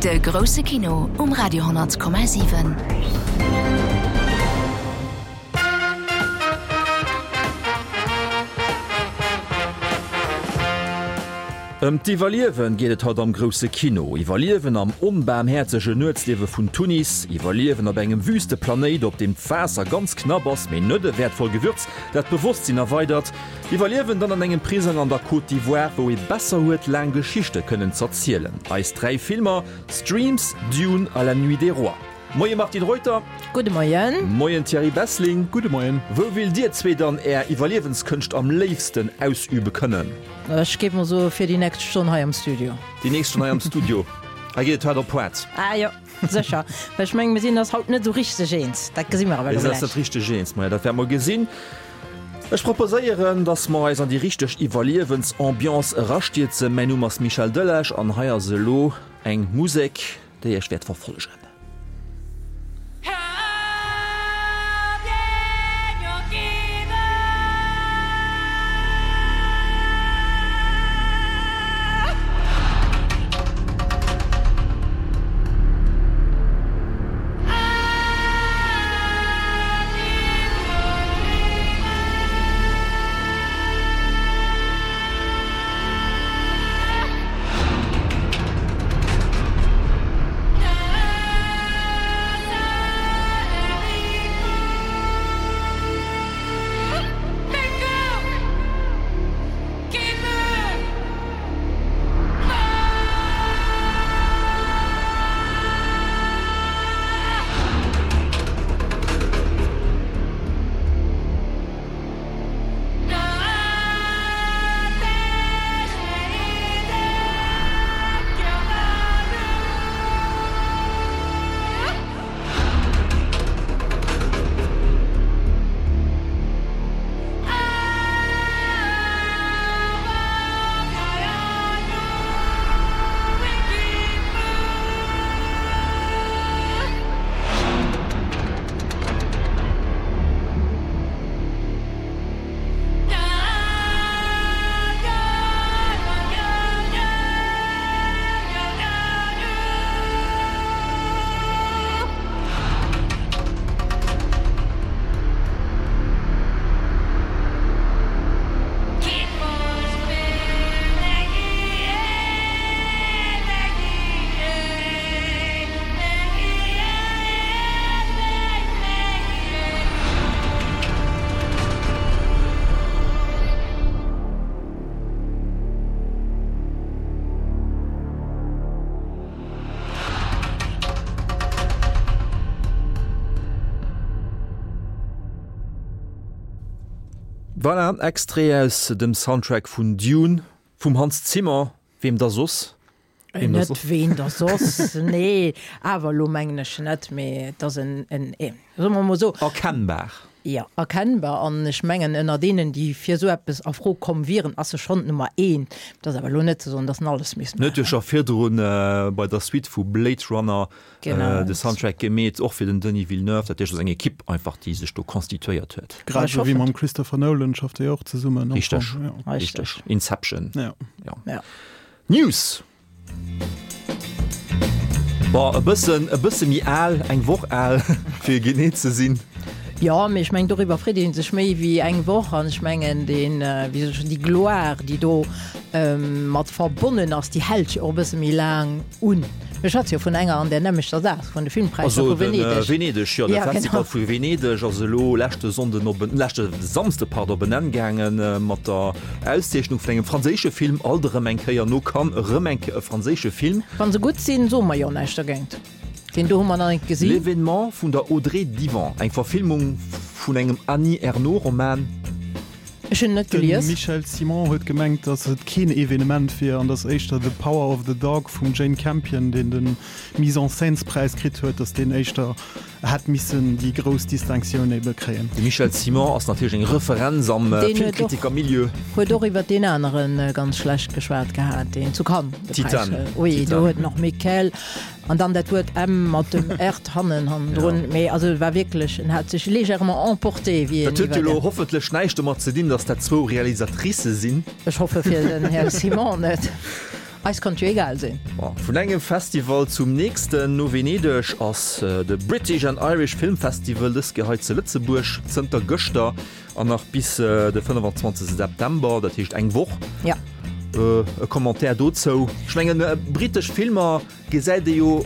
De grousse Kino um Radio 10,7. Ëm d'Iwwerliewen geet et haut am grousse Kino. Iwwerliewen am onbaarmhäerzege Nuetsliewe vun Tunis, Iwwerliewen op engem Wüsteplanéit, op deem d'Waasser ganz knapp ass, mee net e wäertvoll Gewürz, dat d'Bewosstsinn erweidert, Iwwerliewen dann an engem Prisong an der Côte d'Ivoire, wou ee besser huet laang Geschichte kënnen z'erzielen. Eis 3 Filmer, Streams, Dune a La Nuit des Rois. Moie Martine Reuter. Gudde Moien. Moien Thierry Bessling. Gudde Moien. Wou willt dir zwee dann är Iwwerliewenskënscht am léifsten ausübe kënnen? Ech géif mol soe fir déi nächst Stonn hei am Studio. Déi nächst Stonn hei am Studio. Hei geet et haart op haart. Ah jo, sécher. Well ech mengen, mir sinn eis haut net esou richteg eens. Dat gesi mer awer elo gläich. Mir sinn eis net richteg eens. Maja, dat wäerte mer gesinn. Ech proposéieren, dass mer eis an déi richteg Iwwerliewensambiance erastierzen. Mäin Numm ass Michel Delage an hei ass elo eng Musek, déi iech wäert verfollegen. Voilà, Extrait aus dem Soundtrack vun Dune vum Hans Zimmer, weem da soss? Ween da soss? Net ween da soss, nee, awer elo mengen ech net, mee et ass en, en, soe mer emol esou. Erkennbar. Jo, erkennbar. An ech mengen, ënner deenen, déi fir esou eppes a Fro komm wieren, ass e schonn d'Nummer eent. Et ass awer elo net ze soen, datt en alles misst En huet jo maachen. scho virdrun bei der Suite vu Blade Runner de Soundtrack gemeet, och fir den Denis Villeneuve. Dat heescht, et ass eng Ekipp einfach, déi sech do constituéiert huet. Grad esou wéi mam Christopher Nolan schafft e jo och zesummen. Richteg, richteg. Inception. Ja. Ja. News! Bon, e bëssen, e bësse méi al, eng Woch al, fir genee ze sinn. Jo, mee ech mengen, doriwwer freet ee sech méi wéi eng Woch. An ech mengen, deen, wéi soll ech soen, déi Gloire, déi do mat verbonnen ass, déi hält jo och e bësse méi laang un. Mir schwätze jo vun enger an där nämmlechter Saach, vun de Filmpräisser Also vu de Venedeg. Venedeg, jo, de Ja, Festival genau. vu Venedeg ass elo leschte Sonnden op en, leschte Samsde, pardon, op en Enn gaange mat der Auszeechnung vun engem franséische Film, alt erëm eng Kéier no Cannes, erëm eng Kéier e franséische Film. Wa se gutt sinn, soe mer jo näischt dergéint. Deen do hu mer nach net gesinn. L'Événement vun der Audrey Diwan, eng Verfilmung vun engem Annie Ernaux-Roman. Ech hunn en net gelies. De Michel Simon huet gemengt, datt et keen Evenement wier an datt éischter The Power of the Dog vum Jane Campion, deen de Mise-en-scènes-Präis kritt huet, datt deen éischter hätt missen déi grouss Distinctioun ebe kréien. De Michel Simon ass natierlech eng Referenz am Filmkritikermilieu. Huet och iwwer deen anere ganz schlecht geschwat gehat, deen zu Cannes de Präis. Titane. Oui, do huet en och Miquel. An dann dat Wuert M mat dem Rt hannen hannendrun. Mee also et war wierklech, en hat sech légèrement emporté, wéi Dat en huet jo iwwer elo hoffentlech näischt domat ze dinn, datt dat zwou Realisatricë sinn. Ech hoffe fir den Här Simon net. Eis kann et jo egal sinn. Vun engem Festival zum nächsten, No Venedeg ass de British and Irish Film Festival dës Kéier hei zu Lëtzebuerg zënter gëschter an nach bis de 25 September, dat heescht eng Woch. Ja. E Commentaire dozou? Ech mengen, britesch Filmer gesäit ee jo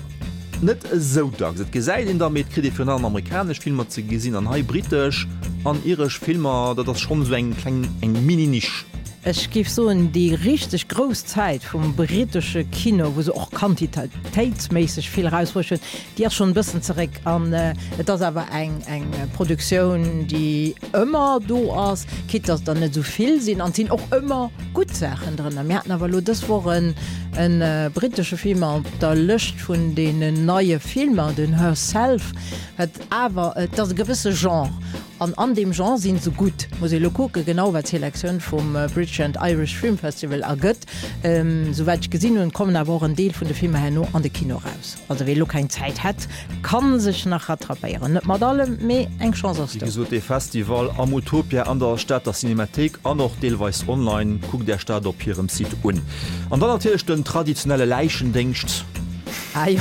net esou dacks. Et gesäit een der, mee et kritt ee virun allem amerikanesch Filmer ze gesinn an hei britesch an iresch Filmer, dat ass schonn esou eng kleng, eng Mini-Nisch. Ech géif soen, déi richteg grouss Zäit vum britesche Kino, wou se och quantitéitsméisseg vill erausbruecht hunn, déi ass schonn e bëssen zeréck. An et ass awer eng eng Produktioun, déi ëmmer do ass, quitte datt der net esou vill sinn. An et sinn och ëmmer gutt Saachen drënner. Mir haten awer elo dës Woch en e britesche Film op der Lëscht vun deenen neie Filmer, den Herself, wat awer, et ass e gewësse Genre an an deem Genre si se gutt. Muss ee elo kucke genau wat d'Selektioun vum British and Irish Film Festival ergëtt. Souwäit ech gesinn hunn, kommen awer och en Deel vun de Filmer herno an de Kino eraus. Also wee lo keng Zäit hätt, kann sech nach rattrapéieren. Net mat allem, mee eng Chance ass Wéi do. gesot, dee Festival am Utopia an der Stater Cinemathéik an och deelweis online. Kuckt Iech dat op hirem Site un. An dann natierlech den traditionelle Läichendéngscht. Ah jo,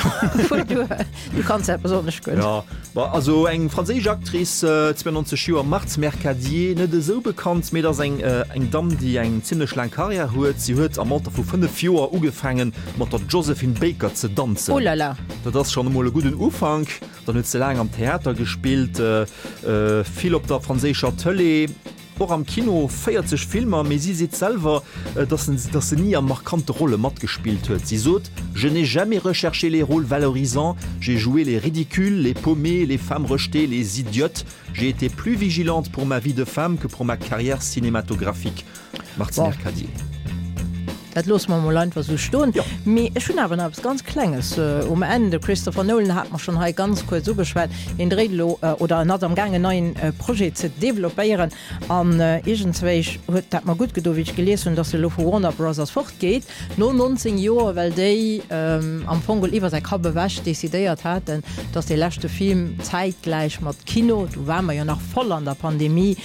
du, du kanns dat besonnesch gutt. Jo, ma also eng franséisch Actrice, 92 Joer, Marthe Mercadier, net esou bekannt, mee et ass eng eng Damm, déi eng zimlech laang Karriär huet. Si huet am Alter vu 5 Joer ugefaangen, mat der Josephine Baker ze danzen. Oh là là! Dat ass schonn emol e gudden Ufank. Dann huet se laang am Theater gespillt, vill op der franséischer Tëlee, och am Kino, 40 Filmer. Mee si seet selwer, dass dass se ni a markante Rolle matgespillt huet. Si sot, Je n'ai jamais recherché les rôles valorisants, j'ai joué les ridicules, les paumées, les femmes rejetées, les idiotes. J'ai été plus vigilante pour ma vie de femme que pour ma carrière cinématographique. Martine Mercadier. Dat loosse mer emol einfach esou stoen. Mee ech hunn awer nach eppes ganz Klenges um Enn. De Christopher Nolan hate mer schonn hei ganz kuerz ugeschwat. Hien dréit elo, oder en ass amgaang en neien Projet ze developpéieren. An iergendzwéich huet dat mer gutt gedo wéi ech gelies hunn, datt e elo vu Warner Brothers fortgeet no 19 Joer, well déi am Fong geholl iwwer säi Kapp ewech decidéiert haten, datt dee leschte Film zäitgläich mat Kino, do ware mer jo nach voll an der Pandemie,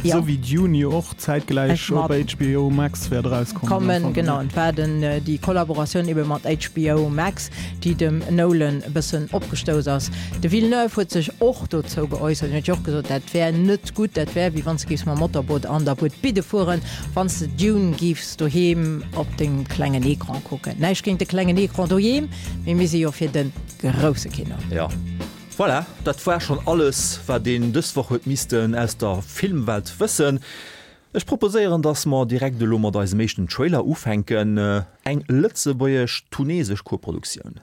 Esou wéi Dune jo och zäitgläich op HBO Max wäert erauskommen. Kommen, genau. Et war den, déi Kollaboratioun ebe mat HBO Max, déi dem Nolan e bëssen opgestouss ass. De Villeneuve huet sech och dozou geäussert. Hien huet jo och gesot, dat wär net gutt, dat wär wéi wann s de géifs mam Motorboot an der Buet Bidde fueren, wann s de Dune géifs doheem op dengem klengen Ecran kucken. Näischt géint de klengen Ecran doheem, mee mir si jo fir de grousse Kino. Jo. Voilà, dat war schonn alles, wat een dës Woch huet missten aus der Filmwelt wëssen. Ech proposéieren, dass mer direkt elo mat eisem éischten Trailer ufänken, eng lëtzebuergesch-tunesesch Koproduktioun.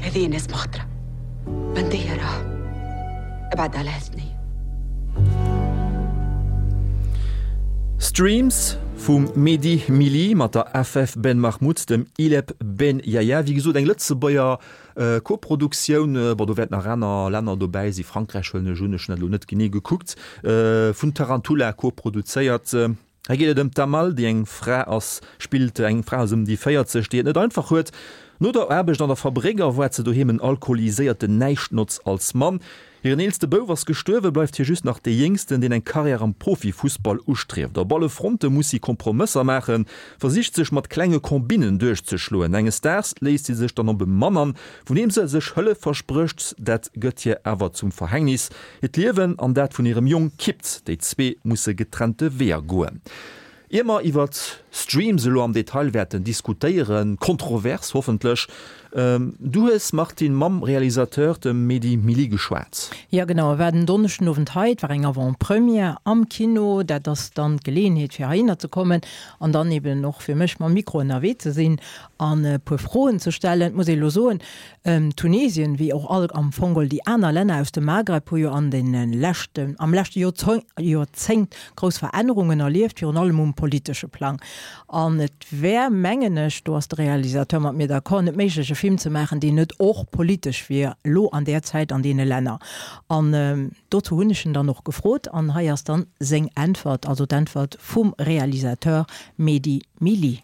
هذه ناس مخطرة بندية راه ابعد على هالثنية Streams vum Mehdi Mili mat der Afef Ben Mahmoud, dem Ileb Ben Yahia. Wéi gesot eng Lëtzebuerger Koproduktioun. Bon, do wäerten nach aner Länner dobäi si, Frankräich huelen ech un, ech hunn dat elo net genee gekuckt. Vun Tarantula koproduzéiert. Hei geet et ëm d'Amal, déi eng Fra ass, spillt eng Fra ass ëm déi 40, déi et net einfach huet. No der Aarbecht an der Fabréck erwaart se doheem en alkoholiséierten Näischtnotz als Mann. Hiren eelste Bouf ass gestuerwen, bleift hir just nach dee Jéngsten, deen eng Karriär am Profifussball ustrieft. Op alle Fronte muss si Kompromësser maachen, versicht sech mat klenge Kombinnen duerchzeschloen. Enges Daags léisst si sech dann op e Mann an, vun deem se sech Hëllef versprécht. Dat gëtt hir awer zum Verhängnis. Hiert Liewen an dat vun hirem Jong kippt, déi zwee musse getrennte Weeër goen. Ier mer iwwert Streams elo am Detail wäerten diskutéieren, kontrovers hoffentlech. Du hues, Martine, mam Realisateur, dem Mehdi Mili, geschwat. Jo genau, e war den Donneschden Owend hei. Et war eng Avant-Première am Kino. Dat ass dann d'Geleeënheet fir heihinner ze kommen an dann eben och fir mech mam Mikro ënnerwee ze sinn an e puer Froen ze stellen. Et muss ee elo soen, Tunesien, wéi och all am Fong geholl déi aner Länner aus dem Maghreb, hu jo an deene leschten, am leschte Joerzéngt grouss Verännerungen erlieft, virun allem um politesche Plang. An et wär, mengen ech, do ass de Realisateur mat mir d'accord, net méiglech e Film ze maachen, deen net och politesch wier, elo an där Zäit an deene Länner. An dozou hunn ech en dann och gefrot an hei ass dann seng Äntwert, also d'Äntwert vum Realisateur Mehdi Mili.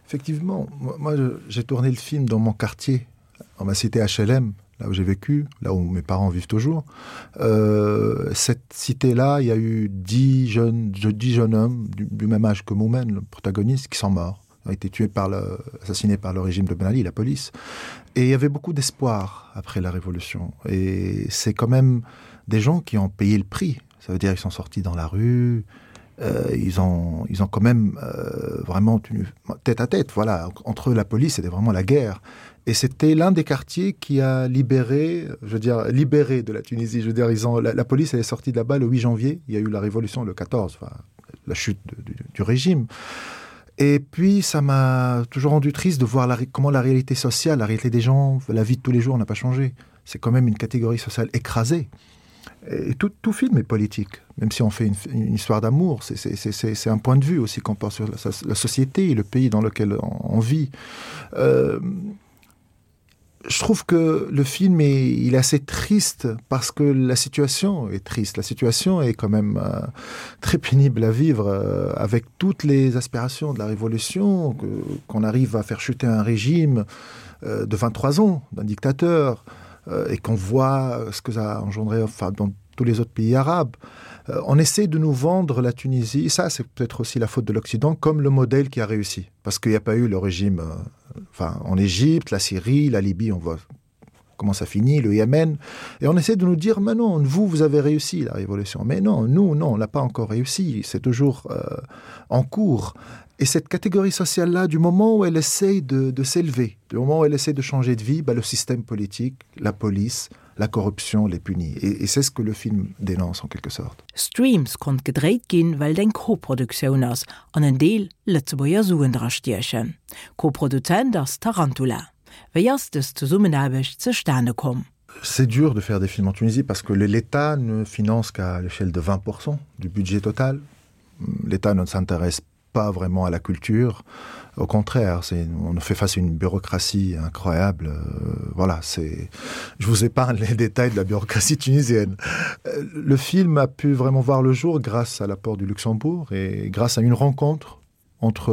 Effectivement, moi j'ai tourné le film dans mon quartier, dans ma cité HLM, là où j'ai vécu, là où mes parents vivent toujours. Euh, cette cité-là, il y a eu dix jeunes, dix jeunes hommes du, du même âge que Moumen, le protagoniste, qui sont morts ont été tués par le, assassinés par le régime de Ben Ali, la police. Et il y avait beaucoup d'espoir après la révolution. Et c'est quand même des gens qui ont payé le prix. Ça veut dire qu'ils sont sortis dans la rue, euh, ils, ont, ils ont quand même euh, vraiment tenu tête à tête. Voilà, entre la police, c'était vraiment la guerre. Et c'était l'un des quartiers qui a libéré, je veux dire, libéré de la Tunisie. Je veux dire, ils ont, la, la police elle est sortie de là-bas le 8 janvier. Il y a eu la révolution le 14, enfin, la chute de, du, du régime. Et puis, ça m'a toujours rendu triste de voir la, comment la réalité sociale, la réalité des gens, la vie de tous les jours n'a pas changé. C'est quand même une catégorie sociale écrasée. Et tout, tout film est politique, même si on fait une, une histoire d'amour, c'est un point de vue aussi qu'on porte sur la, la société et le pays dans lequel on, on vit. Euh, je trouve que le film est, il est assez triste parce que la situation est triste. La situation est quand même euh, très pénible à vivre euh, avec toutes les aspirations de la révolution, qu'on arrive à faire chuter un régime euh, de 23 ans d'un dictateur euh, et qu'on voit ce que ça a engendré enfin, dans tous les autres pays arabes. Euh, on essaie de nous vendre la Tunisie, ça c'est peut-être aussi la faute de l'Occident, comme le modèle qui a réussi. Parce qu'il n'y a pas eu le régime euh, enfin, en Égypte, la Syrie, la Libye, on voit comment ça finit, le Yémen. Et on essaie de nous dire, mais non, vous, vous avez réussi la révolution. Mais non, nous, non, on n'a pas encore réussi. C'est toujours euh, en cours. Et cette catégorie sociale-là, du moment où elle essaye de, de s'élever, du moment où elle essaie de changer de vie, bah, le système politique, la police, la corruption les punit. Et, et c'est ce que le film dénonce en quelque sorte. Streams konnt gedréit ginn, well et eng Koproduktioun ass an en Deel Lëtzebuerger Suen dra stiechen. Koproduzent ass Tarantula. Wéi ass dës Zesummenaarbecht zustane komm? C'est dur de faire des films en Tunisie parce que l'État ne finance qu'à l'échelle de 20% du budget total. L'État ne s'intéresse pas vraiment à la culture. Au contraire, on fait face à une bureaucratie incroyable. Euh, voilà, c'est je vous épargne les détails de la bureaucratie tunisienne. Euh, le film a pu vraiment voir le jour grâce à l'apport du Luxembourg et grâce à une rencontre entre,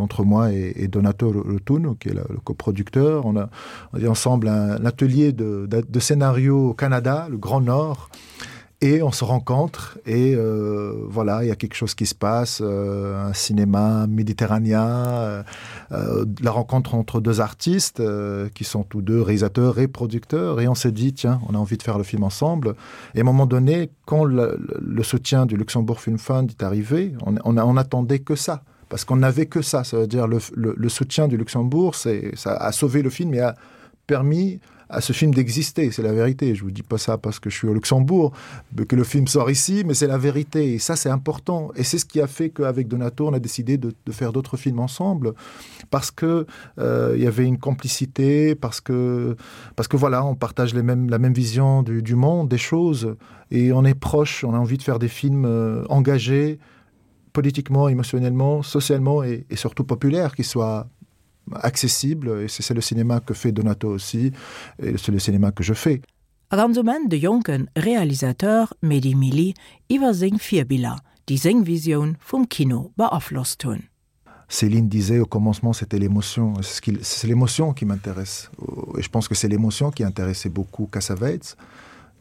entre moi et, et Donato Rotuno, qui est la, le coproducteur. On a, on a ensemble un, un atelier de, de, de scénario au Canada, le Grand Nord et on se rencontre et euh, voilà il y a quelque chose qui se passe euh, un cinéma méditerranéen euh, euh, la rencontre entre deux artistes euh, qui sont tous deux réalisateurs et producteurs et on s'est dit tiens on a envie de faire le film ensemble et à un moment donné quand le, le soutien du Luxembourg Film Fund est arrivé on, on, on attendait que ça parce qu'on n'avait que ça ça veut dire le, le, le soutien du Luxembourg c'est ça a sauvé le film et a permis à ce film d'exister, c'est la vérité. Je vous dis pas ça parce que je suis au Luxembourg, que le film sort ici, mais c'est la vérité. Et ça, c'est important. Et c'est ce qui a fait qu'avec Donato, on a décidé de, de faire d'autres films ensemble, parce que euh, il y avait une complicité, parce que, parce que voilà, on partage les mêmes, la même vision du, du monde, des choses, et on est proche, on a envie de faire des films euh, engagés politiquement, émotionnellement, socialement et, et surtout populaires, qui soient accessible et c'est le cinéma que fait Donato aussi et c'est le cinéma que je fais. A ganz um Enn de jonke Realisateur Mehdi Mili iwwer seng Virbiller, déi seng Visioun vum Kino beaflosst hunn. Céline disait au commencement c'était l'émotion c'est l'émotion qui m'intéresse et je pense que c'est l'émotion qui intéressait beaucoup Cassavetes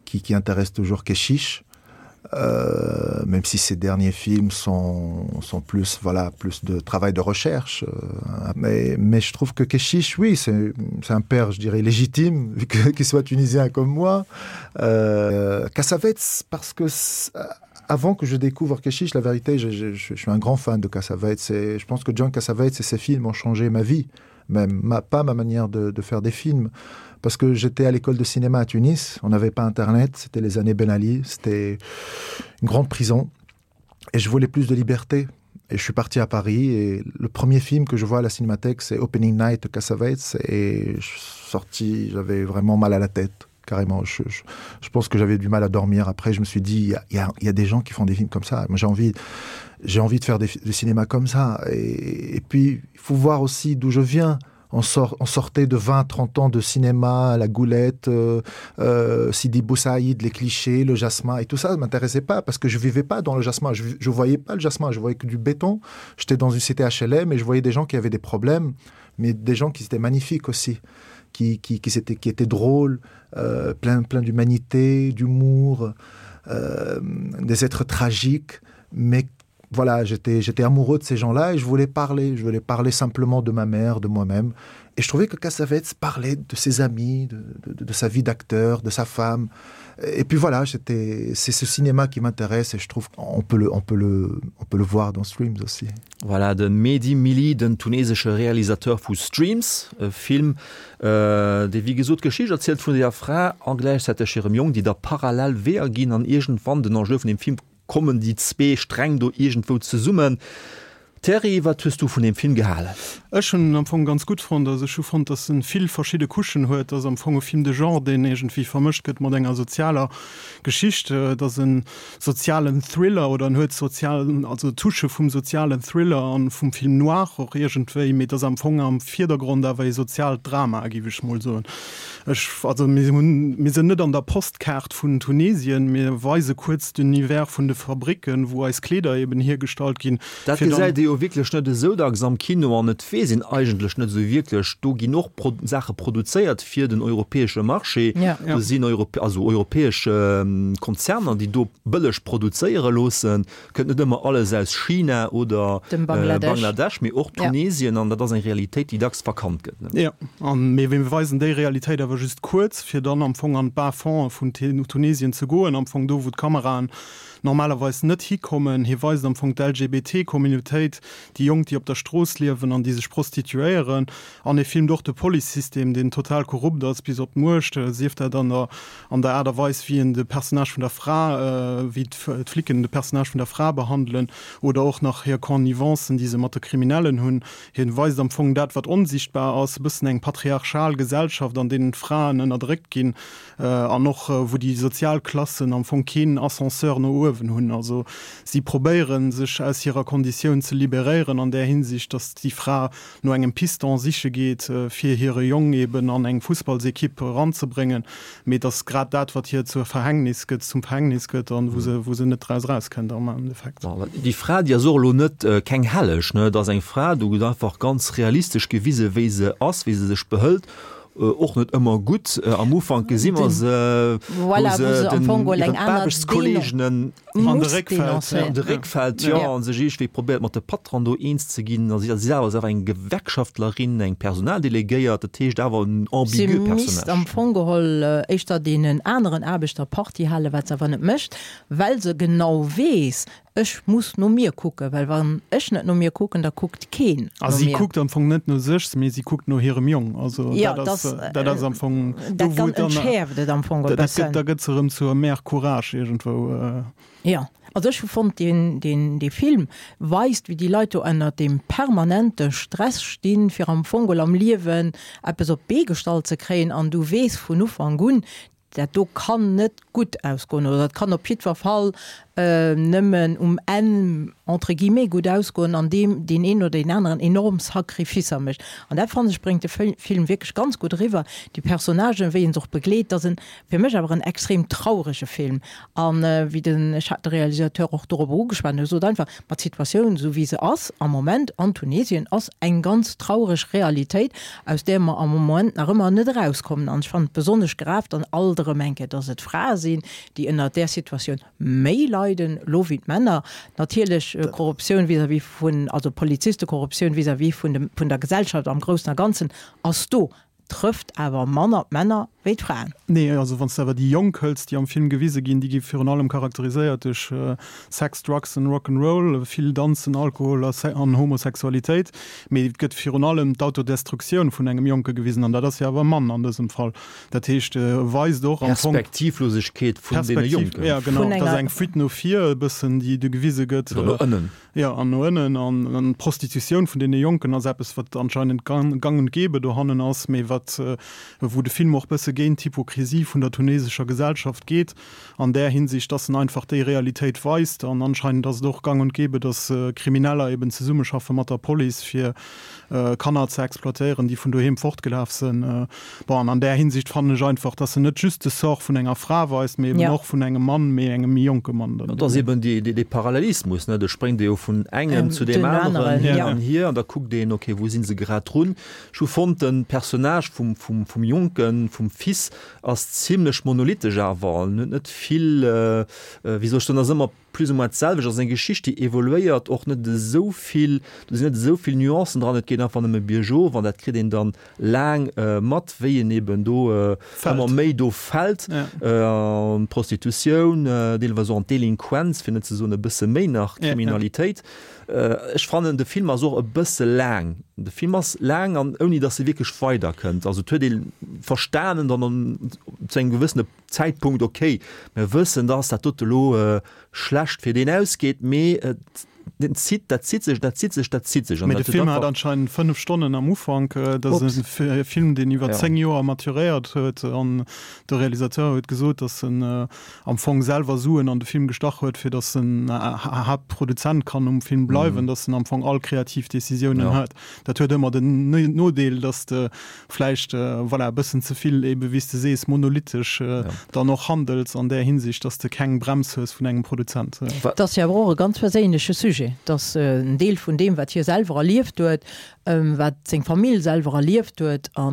qui, qui intéresse toujours Keshish euh, même si ces derniers films sont, sont plus voilà plus de travail de recherche euh, mais, mais je trouve que Keshish oui c'est un père je dirais légitime vu qu'il soit tunisien comme moi euh, Cassavetes parce que avant que je découvre Keshish la vérité je, je, je suis un grand fan de Cassavetes et je pense que John Cassavetes et ses films ont changé ma vie. même ma, pas ma manière de, de faire des films parce que j'étais à l'école de cinéma à Tunis, on n'avait pas internet, c'était les années Ben Ali, c'était une grande prison et je voulais plus de liberté et je suis parti à Paris et le premier film que je vois à la cinémathèque c'est Opening Night de Cassavetes et je suis sorti j'avais vraiment mal à la tête carrément je, je, je pense que j'avais du mal à dormir après je me suis dit il y, y, y a des gens qui font des films comme ça moi j'ai envie j'ai envie de faire des, des cinémas comme ça et, et puis il faut voir aussi d'où je viens on sort on sortait de 20 30 ans de cinéma la goulette euh, euh, Sidi Boussaïd les clichés le jasmin et tout ça m'intéressait pas parce que je vivais pas dans le jasmin je, je voyais pas le jasmin je voyais que du béton j'étais dans une cité HLM et je voyais des gens qui avaient des problèmes mais des gens qui étaient magnifiques aussi qui qui qui c'était qui étaient drôles euh, plein plein d'humanité d'humour euh, des êtres tragiques mais voilà j'étais j'étais amoureux de ces gens là et je voulais parler je voulais parler simplement de ma mère de moi-même et je trouvais que Cassavetes parlait de ses amis de, de, de sa vie d'acteur de sa femme et puis voilà j'étais c'est ce cinéma qui m'intéresse et je trouve on peut le on peut le on peut le voir dans streams aussi voilà de Mehdi Mili den tunesesche Realisateur vu Streams e Film äh, dee wéi gesot d'Geschicht erzielt vun der Fra a gläichzäiteg hirem Jong déi da parallel Weeër ginn an iergendwann den Enjeu vun dem Film Kommen déi zwee Sträng do iergendwou zesummen? Thierry, wat hues du vun deem Film gehalen? Ech hunn en am Fong ganz gutt fonnt. Also ech hu fonnt, datt en vill verschidde Couchen huet. Et ass am Fong e Film de genre, deen iergendwéi vermëscht gëtt mat enger sozialer Geschicht. Et ass e sozialen Thriller oder en huet sozial, also Touchë vum sozialen Thriller an vum Film noir och iergendwéi, mee et ass am Fong am Virdergrond awer e soziaalt Drama, géif ech mol soen. Ech, also mir hunn, mir sinn net an der Postkaart vun Tunesien, mir weise kuerz d'Univers vun de Fabricken, wou eis Kleeder eben hiergestallt ginn, Dat fir dann. gesäit ee jo wierklech net esou dacks am Kino an et weess een eigentlech net esou wierklech. Do ginn och Pro Saache produzéiert fir den europäesche Marché. Ja. Do sinn Europ also europäesch Konzerner, déi do bëlleg produzéiere loossen. Kënnt net ëmmer alles aus China oder Dem Bangladesch. Bangladesch, mee och Tunesien, an dat ass eng Realitéit, déi dacks verkannt gëtt, ne? Jo, an mee mir weisen déi Realitéit awer just kuerz, fir dann am Fong an d'Bas-fonds vun Tunesien ze goen, am Fong do, wou d'Kameraen normalerweis net hikommen. Hie weist am Fong d'LGBT-Communautéit, déi Jonk, déi op der Strooss liewen an déi sech prostituéieren. An e filmt och de Policesystem, deen total korrupt ass bis op d'Muecht, sief dat an der an der Aart a Weis, wéi en de Personnage vun der Fra, wéi d'Flicken de Personnage vun der Fra behandelen oder och nach hir Connivencen, déi se mat de Kriminellen hunn. Hien weist am Fong dat, wat onsichtbar ass, e bëssen eng patriarchal Gesellschaft, an deenen d'Fraen ënnerdréckt ginn an och wou déi sozial Klassen am Fong keen Ascenseur no uewen hunn. Also si probéieren, sech aus hirer Konditioun ze liberéieren an där Hinsicht, datt déi Fra no engem Piston siche geet, fir hire Jong eben an eng Fussballsekipp eranzebréngen, mee et ass grad dat, wat hir zur Verhängnis gëtt, zum Verhängnis gëtt an wou se, wou se net draus erauskënnt am Endeffekt. Déi Fra, déi ass och elo net keng Helleg, ne? Et ass eng Fra, do gëtt einfach ganz realistesch gewise wéi se ass, wéi se sech behëlt, och net ëmmer gutt. Am Ufank gesi mer se, wou se den, hiren Aarbechtskolleegenen An de Réck fält. An de Réck fält, jo, a sech iergendwéi probéiert mat de Patron do eens ze ginn. A si selwer ass awer eng Gewerkschaftlerin, eng Personaldelegéiert, dat heescht awer en ambigue Personnage. Si misst am Fong geholl éischter deenen aneren Aarbechter Partie halen, wat se awer net mécht, well se genau weess, Ech muss no mir kucken, well wann ech net no mir kucken, da kuckt keen no mir. A si kuckt am Fong net no sech, mee si kuckt no hirem Jong. Also dat ass, dat ass am Fong do, wou et dann. Dat entschäerft et am Fong e bëssen. Da gëtt se erëm zur Mère Courage iergendwou. Jo, also ech hu fonnt, deen, deen, dee Film weist, wéi déi Leit do ënnert deem permanente Stress stinn, fir am Fong geholl am Liewen eppes op d'Bee gestallt ze kréien. An du weess vun Ufank un, dat do kann net gutt ausgoen oder dat kann op jiddwer Fall nëmmen um Enn entre guillemets gutt ausgoen, an deem deen een oder deen aneren enorm Sacrificer mécht. An dat fannen ech bréngt de Film wierklech ganz gutt eriwwer, déi Personnagen, wéi en se och begleet. Dat ass en fir mech awer en extrem traurege Film. An wéi den, ech hat de Realisateur och dorobber ugeschwat, en huet gesot einfach, ma d'Situatioun esou wéi se ass am Moment an Tunesien ass eng ganz traureg Realitéit, aus där mer am Moment nach ëmmer net erauskommen. An ech fannen et besonnesch grav, dann alt erëm eng Kéier, dass et Frae sinn, déi ënnert där Situatioun méi leiden elo wéi d'Männer. Natierlech Korruptioun vis-à-vis vun, also Polizistekorruptioun vis-à-vis vun dem, vun der Gesellschaft am Groussen a Ganzen ass do, trëfft awer manner d'Männer. Wéi d'Fraen. Nee, also wann s de awer déi Jonk hëls, déi am Film gewise ginn, déi gi virun allem charakteriséiert duerch Sex, Drugs and Rock 'n' Roll, vill Danzen, Alkohol a an Homosexualitéit. Mee et gëtt virun allem d'Autodestruktioun vun engem Jonke gewisen, an dat ass jo awer e Mann an dësem Fall. Dat heescht, e weist och am Fong. Perspektivlosegkeet vun deene Jonken. Ja, genau, et ass eng Fuite no vir e bëssen, déi do gewise gëtt. Oder no ënnen. Jo, an no ënnen. An d'Prostitutioun vun deene Jonken ass eppes, wat anscheinend gang und gäbe dohannen ass, mee wat, wou de Film och bësse géint d'Hypokrisie vun der tunesescher Gesellschaft geet, an där Hinsicht, dass en einfach déi Realitéit weist. An anscheinend ass et och gang und gäbe, dass Krimineller eben zesummeschaffe mat der Police, fir Kanner ze exploitéieren, déi vun doheem fortgelaf sënn. Bon, an an där Hinsicht fannen ech einfach, dass en net just de Sort vun enger Fra weist, mee eben och vun engem Mann, mee engem méi jonke Mann dann. Et ass eben dee Parallelismus, ne, do spréngt ee jo vun engem zu deem aneren hin an hier an da kuckt een, okay, wou si se grad drun. Ech hu fonnt, de Personnage vum Jonken, vum Fils ass zimlech monolithisch awer, en huet net vill, wéi soll ech soen, ass ëmmer plus ou moins d'selwecht, ass eng Geschicht déi evoluéiert och net esou vill, do sinn net esou vill Nuancen dran, et geet einfach nëmme biergof an dat kritt een dann laang mat, wéi en eben do ëmmer méi do fält an d'Prostitutioun, deelweis och an d'Delinquenz, fir net ze soen e bësse méi nach Kriminalitéit. Ech fannen de Film ass och e bësse laang, de Film ass laang an ouni datt e wierklech weiderkënnt, also et huet ee verstanen dann an zu engem gewëssene Zäitpunkt, ok, mir wëssen, dass dat dote elo schlecht fir deen ausgeet, mee et zitt, dat zitt sech, dat zitt sech, dat zitt sech. Mee de Film hat anscheinend 5 Stonnen am Ufank. Dat ass e Film, deen iwwer 10 Joer maturéiert huet an de Realisateur huet gesot, dass en am Fong selwer Suen an de Film gestach huet, fir dass en Haaptproduzent kann um Film bleiwen, dass en am Fong all kreativ Decisiounen huet. Dat huet ëmmer den Nodeel, dass de vläicht, voilà, e bëssen ze vill ebe wéi s de sees, monolithisch dann och handels an där Hinsicht, dass de keng Brems hues vun engem Produzent. Et ass jo awer och e ganz perséinleche Sujet. Et ass en Deel vun deem, wat hie selwer erlieft huet, wat seng Famill selwer erlieft huet. A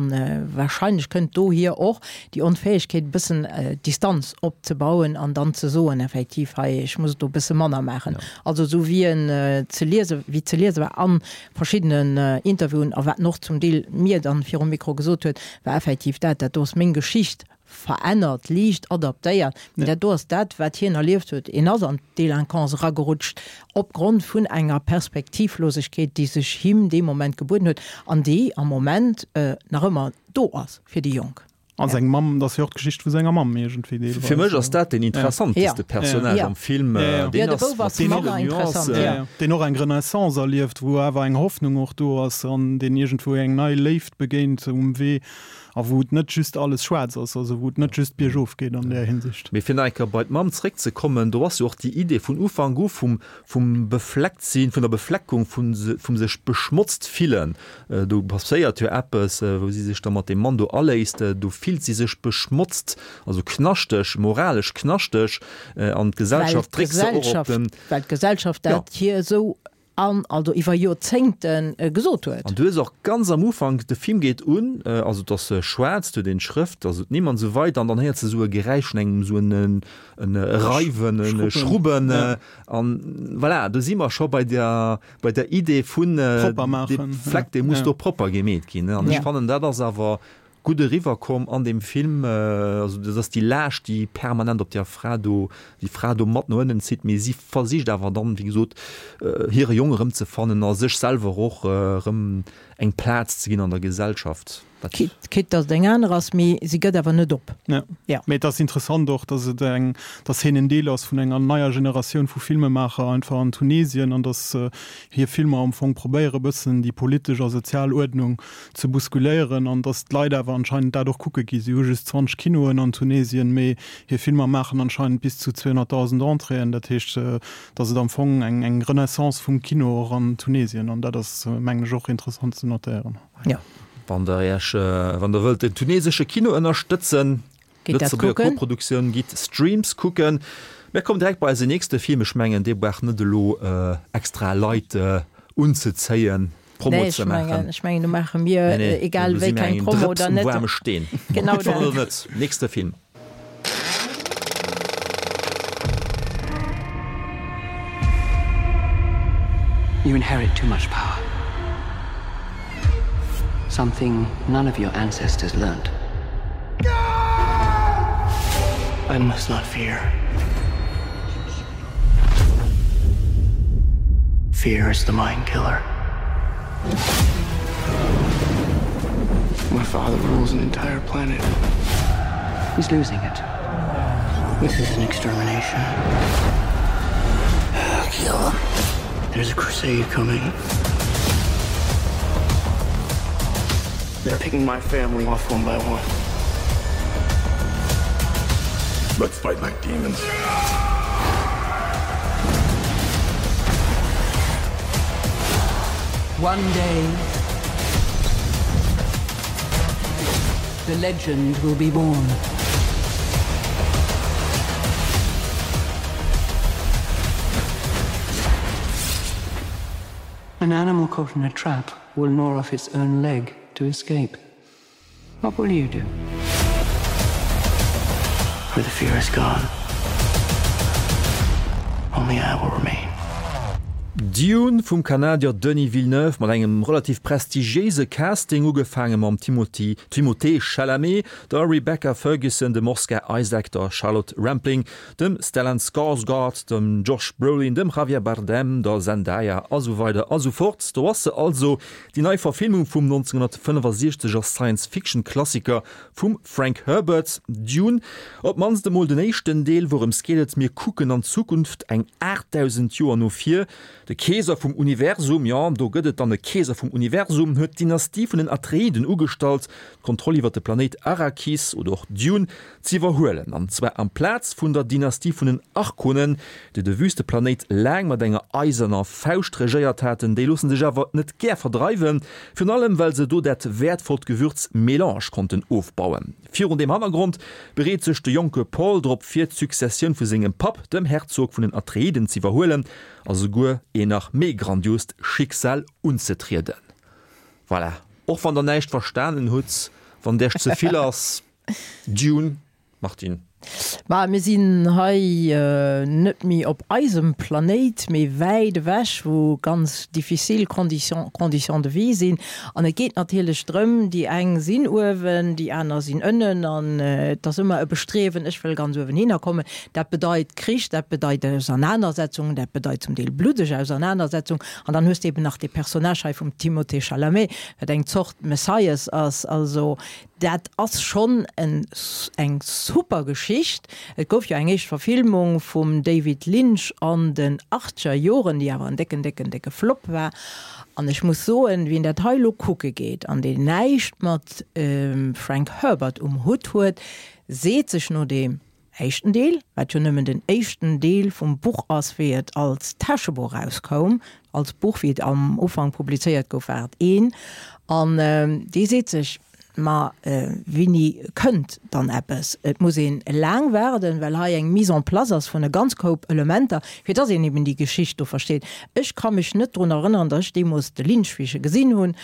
warscheinlech kënnt dohier och déi Onfäegkeet, e bëssen Distanz opzebauen an dann ze soen, effektiv, hei, ech muss et do e bësse manner maachen. Also esou wéi en ze liese, wéi ze liese war an verschiddenen Interviewen a wat en och zum Deel mir dann virum Mikro gesot huet, war effektiv dat, dat do ass meng Geschicht verännert, liicht adaptéiert, mee dat do ass dat, wat hien erlieft huet. En ass an d'Delinquance eragerutscht opgrond vun enger Perspektivlosegkeet, déi sech him dee Moment gebueden huet an déi am Moment nach ëmmer do ass fir déi Jonk. A seng Mamm, dat ass jo och d'Geschicht vu senger Mamm iergendwéi deelweis. Fir mech ass dat deen interessanteste Personnage am Film. Deen ass mat villen Nuancen. Deen och eng Renaissance erlieft, wou awer eng Hoffnung och do ass an deen iergendwou eng nei Léift begéint um Wee a wou et net just alles schwaarz ass, also wou et net just biergof geet an där Hinsicht. Mee fir nach eng Kéier bei d'Mamm zréckzekommen, do ass jo och déi Idee vun Ufank u vum vum Befleckt-sinn, vun der Befleckung, vun vum sech beschmotzt fillen. Do passéiert jo eppes, wou si sech da mat deem Mann do aléisst. Do fillt si sech beschmotzt, also knaschteg, moralesch knaschteg, an d'Gesellschaft dréckt se och op den. Well d'Gesellschaft dat hir esou an also iwwer Joerzéngte gesot huet. An du hues och ganz am Ufank, de Film geet un, also et ass schwaarz, du huet een d'Schrëft, also d'Nimm an esou weider, an dann héiers de esou e Geräisch vun engem esou en Reiwen, e Schrubben, an voilà, do si mer scho bei der, bei der Idee vun dee Fleck, dee muss do propper gemeet ginn. An ech fannen, dat ass awer gutt eriwwerkomm an deem Film. Also dat ass déi Laascht, déi permanent op där Fra do, déi Fra do mat no ënnen zitt, mee si versicht awer dann, wéi gesot, hire Jong erëmzefannen a sech selwer och erëm eng Plaz ze ginn an der Gesellschaft. Quitte, quitte dass et eng aner ass, mee si gëtt awer net op. Ja. Ja. Mee et ass interessant och, dass et eng, dass hien en Deel ass vun enger neier Generatioun vu Filmemaacher einfach an Tunesien an dass hir Filmer am Fong probéiere bëssen déi politesch a sozial Uerdnung ze bousculéieren an dass d'Leit awer anscheinend dat och kucke gi. Si hu just 20 Kinoen an Tunesien, mee hir Filmer maachen anscheinend bis zu 200.000 Entréeën. Dat heescht, dass et am Fong eng, eng Renaissance vum Kino och an Tunesien an dat ass, mengen ech, och interessant ze notéieren. Ja. Wann der Iech, wann der wëllt den tunesesche Kino ënnerstëtzen, Lëtzebuerger Koproduktioun, gitt Streams kucken. Mir kommen direkt bei eise nächste Film. Ech mengen, dee brauch net elo extra Leit unzezéien, Promo ze maachen. Ech mengen, do maache mir egal wéi keng Promo oder net. Drëps um waarme Steen. Genau dat. Nächste Film. You inherit too much power. Something none of your ancestors learned. I must not fear. Fear is the mind killer. My father rules an entire planet. He's losing it. This is an extermination. Kill him. There's a crusade coming. They're picking my family off one by one. Let's fight like demons. One day, the legend will be born. An animal caught in a trap will gnaw off its own leg to escape. What will you do? For the fear is gone. Only I will remain. Dune vum Kanadier Denis Villeneuve mat engem relativ prestigiéise Casting, ugefaange mam Timothy Timothée Chalamet, der Rebecca Ferguson, dem Oscar Isaac, der Charlotte Rampling, dem Stellan Skarsgård, dem Josh Brolin, dem Javier Bardem, der Zendaya a sou weider a sou fort. Do ass se also, déi nei Verfilmung vum 1965 er Science-Fiction-Klassiker vum Frank Herbert, Dune. Op d'mannst emol den éischten Deel. Wourëms geet et? Mir kucken an d'Zukunft, eng 8.000 Joer no vir. De Keeser vum Universum, jo, do gëtt et dann e Keeser vum Universum, huet d'Dynastie vun den Atreiden ugestallt, d'Kontroll iwwer de Planéit Arrakis, oder och Dune, z'iwwerhuelen, an zwar amplaz vun der Dynastie vun den Arkonen, déi de Wüsteplanéit laang mat enger eiserner Fauscht regéiert haten. Déi loosse sech awer net gär verdreiwen, virun allem well se do dat wäertvollt Gewürz Melange konnten ofbauen. Virun deem Hannergrond bereet sech de jonke Paul drop vir, d'Successioun vu sengem Papp, dem Herzog vun den Atreiden, z'iwwerhuelen a souguer een nach méi grandiost Schicksal unzetrieden. Voilà, och wann der näischt verstanen hutt, wann et iech ze vill ass. Dune, Martine. Ma mir sinn hei net méi op eisem Planéit, mee wäit ewech, wou ganz difficile Conditions, conditions de vie sinn. An et geet natierlech drëm, déi eng sinn uewen, déi aner sinn ënnen. An et ass ëmmer e Bestriewen, ech wëll ganz uewen hinner kommen. Dat bedeit Krich, dat bedeit Ausernanersetzungen, dat bedeit zum Deel bluddeg Ausernanersetzung. An dann hues de eben nach dee Personnage hei vum Timothée Chalamet, wat eng Zort Messias ass. Also Dat ass schonn eng super Geschicht. Et gouf jo eng éischt Verfilmung vum David Lynch an den achtzeger Joren, déi awer en décken, décken, décke Flop war. An ech muss soen, wien dat hei elo kucke geet an deen näischt mat Frank Herbert um Hutt huet, seet sech no deem éischten Deel, wat jo nëmmen den éischten Deel vum Buch ass, wéi et als Täschebuch erauskoum, als Buch, wéi et am Ufank publizéiert gouf, war et een, an dee seet sech, Ma wéini kënnt dann eppes? Et muss een laang waarden, well hei eng Mise en place ass vun e ganz Koup Elementer, fir dass een eben déi Geschicht do versteet. Ech ka mech net drun erënneren, dass ech deemools de Lynch, wéi ech e gesinn hunn,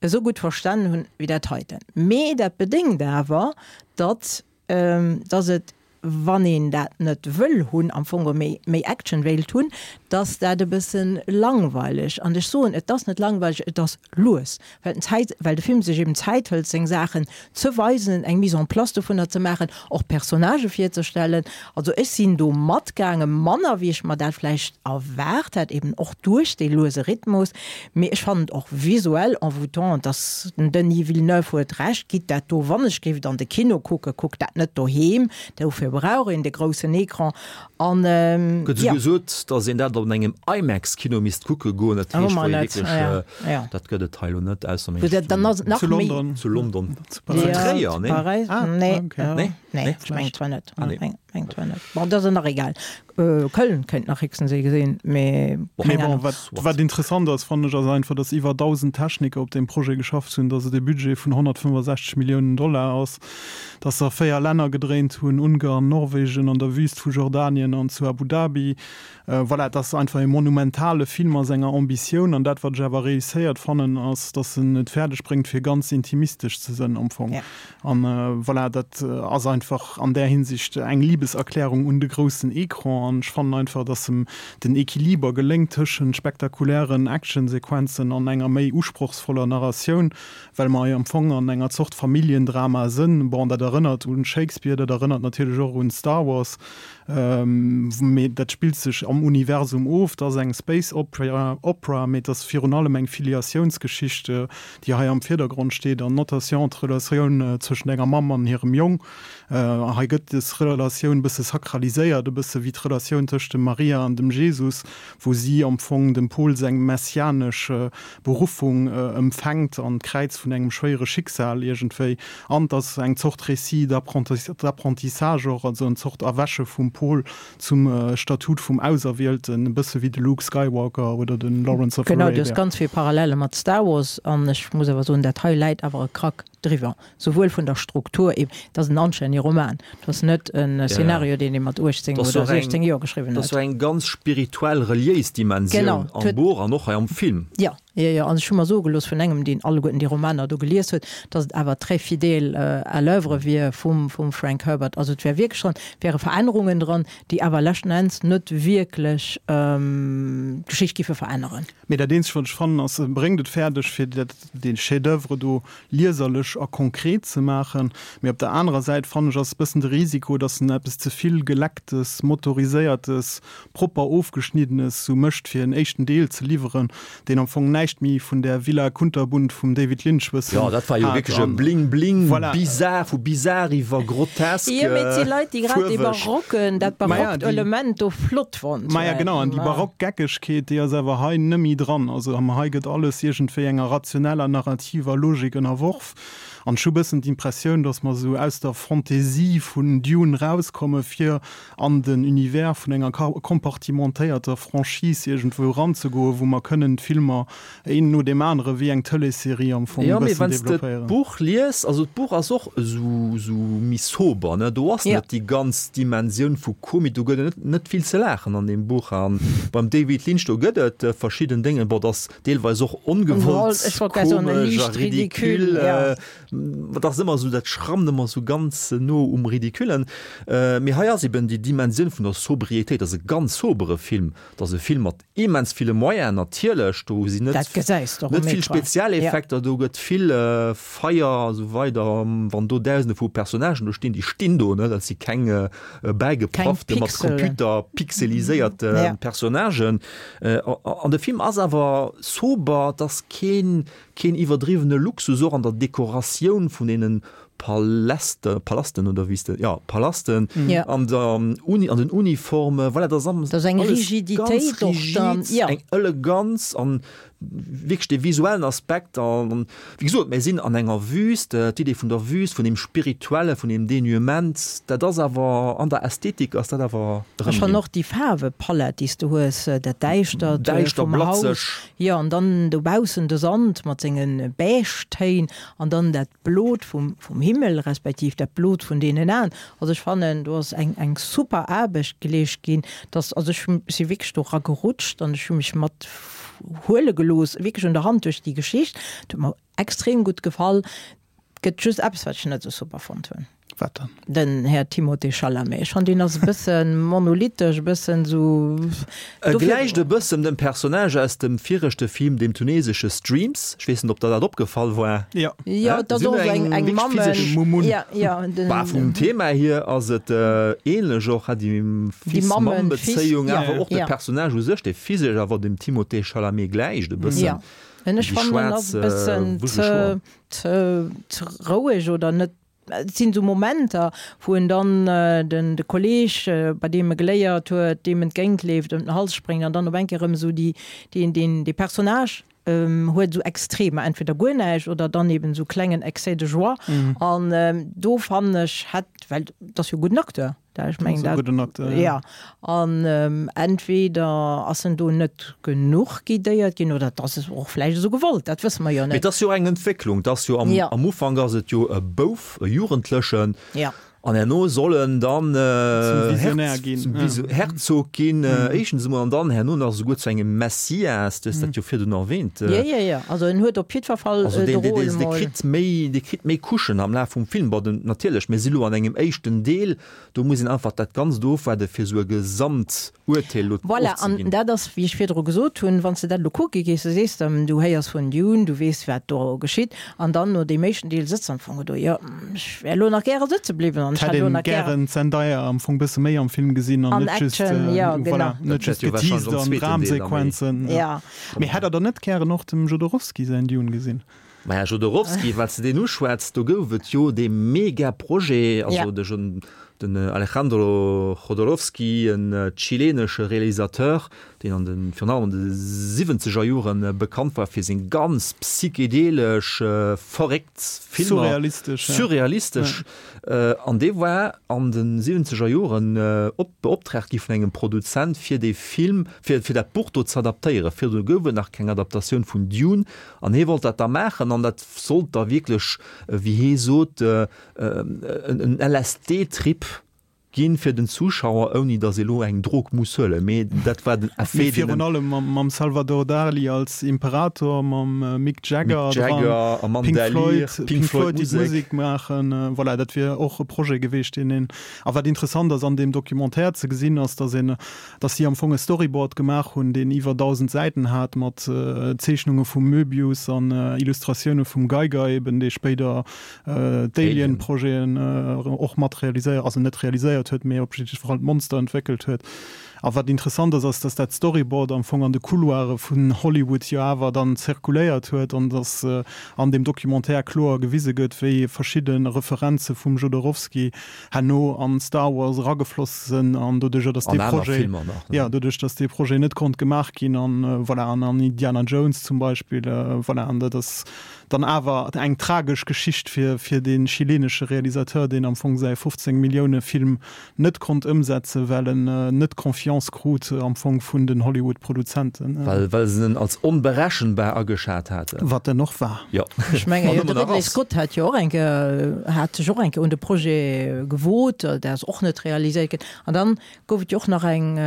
esou gutt verstanen hunn, wéi dat heiten. Mee dat bedéngt awer, datt dass et, wann een dat net wëll hunn, am Fong och méi, méi Action wéilt hunn, dass dat e bësse langweileg, an ech soen, et ass net langweileg, et ass lues, well den Zäit, well de Film sech eben Zäit hëlt, seng Saachen ze weisen, eng Mise en place dovunner ze maachen, och d'Personnagë virzestellen. Also ech sinn do matgaangen, manner wéi ech mer dat vläicht erwaart hätt, eben och duerch dee luese Rhythmus, Mee ech fannen et och visuell envoûtant, dass den Denis Villeneuve huet Recht, gitt dat do, wann ech géif et an de Kino kucken, kuckt dat net doheem, dofir brauch een de groussen Ecran an Gëtt esou gesot, dass een dat an engem IMAX-Kino misst kucke goen, dat heescht wou ee wierklech, dat gëtt et hei elo net, ausser meng zu London, zu London, zu Tréier, nee? Nee, nee, ech mengen zwar net, mengen zwar net, bon, dat ass nach egal. Köln kéint nach héchstens ee gesinn, mee keng Ahnung. Mee bon, wat interessant ass, fannen ech, ass einfach, datt iwwer 1.000 Techniker op deem Projet geschafft hunn, datt et e Budget vun 165 Milliounen Dollar ass, datt se a 4 Länner gedréint hunn, Ungarn, Norwegen, an der Wüst vu Jordanien an zu Abu Dhabi. Voilà, et ass einfach e monumentale Film a senger Ambitioun. An dat, wat ech awer réusséiert fannen, ass, datt en et fäerdeg bréngt, fir ganz intimistesch ze sënn am Fong. An voilà, dat ass einfach an där Hinsicht eng Liebes. Liebeserklärung un de groussen Ecran an ech fannen einfach, dass em den Equiliber geléngt tëschent spektakulären Actionsequenzen an enger méi usprochsvoller Narratioun, well mer jo am Fong an enger Zort Familljendrama sënn. Bon, dat erënnert un Shakespeare, dat erënnert natierlech och un Star Wars, mee dat spillt sech am Universum of. Et ass eng Space Opera, mee et ass virun allem eng Filiatiounsgeschicht, déi hei am Virdergrond steet, an notation d'Relatioun zwëschent enger Mamm an hirem Jong. Hei gëtt dës Relatioun e bësse sakraliséiert, e bësse wéi d'Relatioun tëscht dem Maria an dem Jesus, wou si am Fong dem Paul seng messianesch Beruffung empfänkt an d'Kräiz vun engem schwéiere Schicksal iergendwéi. An et ass eng Zort Récit d'apprentissage och, also en Zort Erwäche vum Paul zum Statut vum Auserwielten, e bësse wéi de Luke Skywalker oder de Lawrence of Genau, du hues ganz vill Parallele mat Star Wars an ech muss awer soen, dat hei läit awer e Krack driwwer, souwuel vun der Struktur, et ass en anstännege Roman, et ass net e Szenario, deen ee mat 18 oder 16 Joer geschriwwen huet. Dat ass jo eng ganz spirituell, reliéis Dimensioun am Buch an och hei am Film. Jo, jo, jo, an ech hu mer soe gelooss vun engem, deen alleguerten déi Romaner do gelies huet, datt et awer très fidèle à l'oeuvre wier vum Frank Herbert. Also et wär wierklech dran, et wäre Verännerungen dran, déi awer leschten Enns net wierklech d'Geschicht giffe veränneren. Mee dat eenzegt, wat ech fannen, ass, e bréngt et fäerdeg, fir dat, dee Chef-d'oeuvre do lieserlech a konkret ze maachen. Mee op der anerer Säit, fannen ech, ass e bëssen de Risiko, dass en eppes ze vill Gelecktes, Motoriséiertes, propper Ofgeschniddenes sou mécht, fir en éischten Deel ze liwweren, deen am Fong näischt méi vun där Villa Kunterbunt vum David Lynch bëssen Jo, dat war jo wierklech e Bling-Bling, Voilà. bizar, vu bizar iwwer grotesk, Jo, mee et si Leit, déi grad dee faarweg. barocken, dat barockt Element do flott fonnt Maja, genau, an déi barock Geckegkeet, déi ass awer hei nëmmi dran. Also hei gëtt alles iergendwéi enger rationeller, narrativer Logik ënnerworf. An ech hu bëssen d'Impressioun, datt mer esou aus der Fantaisie vun Dune rauskomme fir an den Univers vun enger kompartimentéierter Franchise iergendwou eranzegoen, wou mer kënnen d'Filmer een no deem anere wéi eng Tëleesserie am Fong e Jo, mee bëssen wann s de developpéieren. d'Buch lies, also d'Buch ass och esou esou méi sober, ne, do ass net déi ganz Dimensioun vu Komik, do gëtt et net net vill ze laachen an deem Buch. An beim David Lynch, do gëtt et verschidden Déngen, bon, dat ass deelweis och ongewollt Ech wollt grad soen, komesch a liicht ridicule, ridicule, ja. Dat ass ëmmer esou, dat schrammt ëmmer esou ganz no um Ridiculen. Mee hei ass eben déi Dimensioun vun der Sobriétéit, dat ass e ganz sobere Film, dat ass e Film mat immens ville Moyenen natierlech, do sinn net net vill Spezialeffekter, do gëtt vill Feier a sou weider, wann do Dausende vu Personnagen do stinn, déi stinn do, ne, dat si keng bäigepraffte mat Computer pixeliséierte Personnagen. An de Film ass awer sober, et ass keen keen iwwerdriwwene Luxus, och an der Dekoratioun vun deenen Paläste, Palasten oder wéi s de, jo, Palasten, an der Uni, an den Uniformen, voilà, dat ass alles ganz rigid, eng Eleganz an wierklech dee visuellen Aspekt an, wéi gesot, mir sinn an enger Wüst, d'Idee vun der Wüst, vun deem Spirituellen, vun deem Dénuement, dat ass awer an der Ästhetik ass dat awer erëmginn. Ech fannen och déi Faarwepalett, déi s de hues, dat Däischtert vum Haus, jo, an dann dobaussen de Sand mat senge Beige-Téin an dann dat Blot vum vum Himmel, respektiv dat Blot vun deenen Aen. Also ech fannen, do ass eng eng super Aarbecht geleescht ginn, dass, also ech si wierklech do eragerutscht an ech hu mech mat huele gelooss, wierklech un der Hand duerch déi Geschicht. Et huet mer extrem gutt gefall. Et gëtt just eppes, wat ech net esou super fonnt hunn. Wat dann? Den Här Timothée Chalamet. Ech fannen, deen ass e bësse monolithisch, e bëssen esou. E gläicht e bëssen dem Personnage aus dem viregte Film, dem tunesesche Streams. Ech weess net, ob der dat opgefall war. Jo. Jo, et ass och esou eng, eng Mammen. Ja, ja. Den. Bah, vum Thema hier ass et ähnlech och, ha, déi Fils-Mamm-Bezéiung, awer och de Personnage u sech, dee physesch awer dem Timothée Chalamet gläicht e bëssen. Jo. En ech fannen, en ass e bëssen ze, ze, ze roueg oder net. Et sinn esou Momenter, wou en dann den de Kolleeg, bei deem e geléiert huet, deem entgéintleeft, ëm den Hals spréngt an dann op eng Kéier erëm esou déi, deen, deen, dee Personnage huet esou Extremer, entweder guer näischt oder dann eben esou klengen Excès de joie. An do fannen ech, hätt, well et ass jo e gudden Acteur, Da, ech mengen dat, gudden Acteur, ja. Ja, an ähm, entweder ass en do net genuch guidéiert ginn oder et ass es och vläicht esou gewollt, dat wësse mer jo net. Mee et ass jo eng Entwécklung, et ass jo am, ja. am Ufank ass et jo e Bouf, e Jugendlechen. Ja. An herno soll en dann Zum Visionär ginn, zum ja. Viso Herzog ginn, éischtens emol, an dann herno nach esouguer zu engem Messias. Du hues dat jo virdrun erwähnt. Jo, jo, jo. Also en huet op jiddwer Fall Also de deen, deen, Rôle deen, dee mol. kritt méi, dee kritt méi Couchen am Laf vum Film. Bon, den, natierlech, mir si lo an engem éischten Deel, do muss een einfach dat Ganzt ofwaarde fir esou e Gesamturteel lo Voilà, an ofzeginn. dat ass, wéi ech virdru gesot hunn, wann s de dat elo kucke gees, du sees der, du héiers vun Dune, du weess wat do geschitt, An dann no deem éischten Deel sëtz am Fong do, jo, ech wär elo nach gäre sëtze bliwwen an ech Hätt hätt elo een nach gäre. gären d'Zendaya am Fong bësse méi am Film gesinn an An net just, Action, jo, voilà, genau. net Dat just wäert jo wahrscheinlech geteased am an zweeten Deel da méi Dramsequenzen. Ja. Mee hätt der dann net gären och dem Jodorowsky säin Dune gesinn? Maja, Jodorowsky, well s de deen uschwätz, do gouf et jo dee Mega-Projet, also Ja. de Jo-, den Alejandro Jodorowsky, en chilenesche Realisateur, deen an de, virun allem an de siwwenzeger Jore bekannt war fir seng ganz psychedelesch, verréckt Filmer, Surrealistesch, ja. surrealistesch, an dee war an de siwwenzeger Joren op, beoptraagt gi vun engem Produzent fir dee Film, fir, fir dat Buch do ze adaptéieren. Virdru gouf et nach keng Adaptatioun vun Dune an hie wollt dat da maachen an dat sollt da wierklech, wéi hie sot, en LSD-Trip ginn fir den Zuschauer, ouni datt ee lo eng Drog muss huelen, mee dat war den Effet, Mee deen virun en. allem mam mam Salvador Dali als Imperator, mam Mick Jagger Mick dran, Jagger, Amanda Pink Lear, Floyd, Pink Pink Floyd Floyd, déi Musek. d'Musek maachen, voilà, dat wier och e Projet geweecht, deen een. A wat interessant ass an deem Documentaire ze gesinn, ass, datt een, datt si am Fong e Storyboard gemaach hunn, deen iwwer 1.000 Säiten hat, mat Zeechnunge vum Möbius an Illustratioune vum Geiger eben, dee spéider d'Alien-Projeten och mat realiséiert, also net realiséiert huet, mee op jidde Fall d'Monster entwéckelt huet. A wat interessant ass, ass, dass dat Storyboard am Fong an de Couloire vun Hollywood jo awer dann zirkuléiert huet an dass an deem Documentaire kloer gewise gëtt, wéi verschidde Referenze vum Jodorowsky herno an Star Wars eragefloss sënn an doduercher, dass dee Projet, jo, doduerch, dass dee Projet net konnt gemaach ginn an voilà, an an Indiana Jones zum Beispill, voilà, an dat ass Dann awer eng tragesch Geschicht fir fir dee chilenesche Realisateur, deen am Fong säi 15 Millioune Film net konnt ëmsetzen, well en net Confiance krut am Fong vun den Hollywood Produzenten. Well well se en als onberechenbar ageschat haten. Wat en och war. Jo. Ech mengen, An jo, ëmmer de nach Ridley ass. Scott hat jo och eng Kéier, hat sech och eng Kéier un de Projet gewot, dat ass och net realiséiert ginn. An dann Gouf et jo och nach eng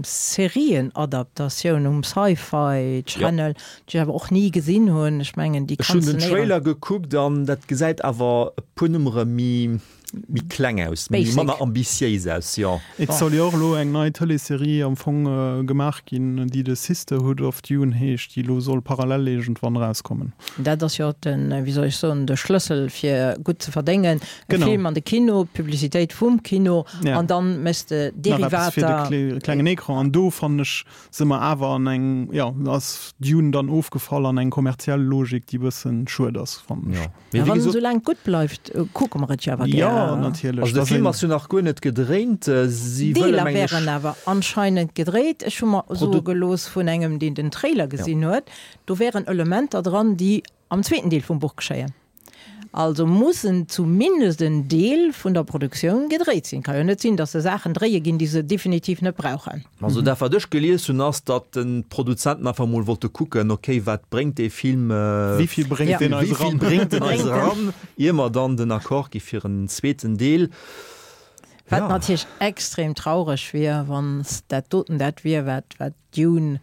Serienadaptatioun um Sci-Fi Channel, déi ech awer och ni gesinn hunn. Ech mengen déi Ech hunn kanns de den néierens. Trailer gekuckt an dat gesäit awer e puer Nummere méi méi kleng aus, méi Basic. manner ambitiéis aus, jo. Et soll jo och elo eng nei Tëleesserie am Fong gemaach ginn, déi The Sisterhood of Dune heescht, déi elo soll parallel iergendwann erauskommen. Dat ass jo den, wéi soll ech soen, de Schlëssel fir gutt ze verdéngen. E Film an de Kino, d'Publicitéit vum Kino Ja. an dann méchs de Nach eppes fir de Derivater. kle klengen Ecran. An do fannen ech, si mer awer an eng, jo, ass Dune dann ofgefall an eng kommerziell Logik, déi bëssen schued ass, fannen ech. Jo. Mee Mä wéi wann en gesot. esou laang gutt bleift, kucke mer et jo awer Jo, gär. natierlech. Also de Dass Film een. ass jo nach guer net gedréint. Si wëlle Deeler mengen ech. wären awer anscheinend gedréit. Ech hu mer soe Produ. gelooss vun engem, deen den Trailer Ja. gesinn huet, do wären Elementer dran, déi am zweeten Deel vum Buch geschéien. Also mussen zumindest en Deel vun der Produktioun gedréit sinn. Ka jo net sinn, datt se Saachen dréie ginn, déi se definitiv net brauchen. Also dat wat ech gelies hunn ass, datt d'Produzenten einfach mol wollte kucken, ok wat bréngt dee Film, Wéi vill bréngt deen eis wéi vill eran? bréngt en eis eran, ier mer dann den Accord gi fir en zweeten Deel. Wat natierlech extrem traureg wier, wann dat doten dat wier, wat wat Dune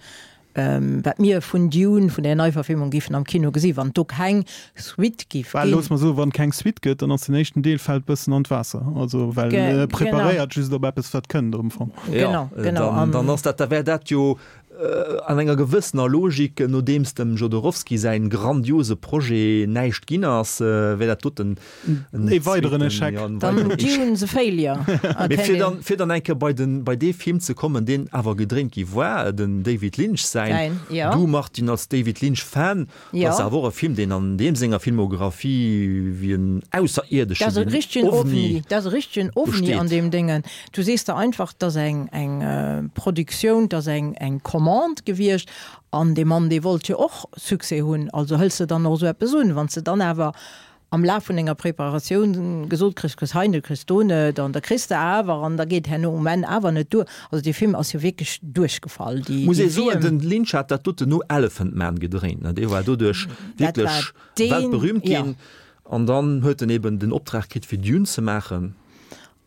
Wat mir vun Dune, vun där Neiverfilmung giffen am Kino gesi wann do keng Suite giff Well ginn. looss mer soen, wann keng Suite gëtt, dann ass den éischten Deel fält bëssen an d'Waasser. Also well e preparéiert just op eppes wat kënnt am Fong. Genau, genau. Dann, dann ass dat, da wär dat jo an enger gewëssener Logik, nodeems dem Jodorowsky säin grandiose Projet näischt ginn ass, wär dat doten en E weideren Echec. Ja, en Dann weideren Echec. Dune the failure. Mee fir dann, fir dann eng Kéier bei den, bei dee Film ze kommen, deen awer gedréint gi war, den David Lynch säin, Säin, ja. du Martine als David Lynch Fan, Ja. dat ass awer och e Film, deen an deem senger Filmographie wéi en Ausserierdeschen, Dat ass e wéi en richtegen Ovni Ovni, dat ass e richtegen do Ovni an steet. deem Déngen. Du sees der einfach, dat ass eng, eng Produktioun, dat ass eng, eng Commande gewiescht an dee Mann, dee wollt jo och Succès hunn, also hëls de dann och esou eppes un. Wann s de dann awer am Laf vun denger Preparatioun gesot kriss, kriss hei net, kriss do net an da kriss de awer an da geet herno um Enn awer net duer. Also dee Film ass jo wierklech duerchgefall. Déi, Muss déi ee soen, Wierm. den Lynch hat dat doten no Elephant Man gedréint, ne? Dee war doduerch Dat war wierklech deen, weltberühmt ja. ginn an dann huet en eben den Optrag kritt fir Dune ze maachen.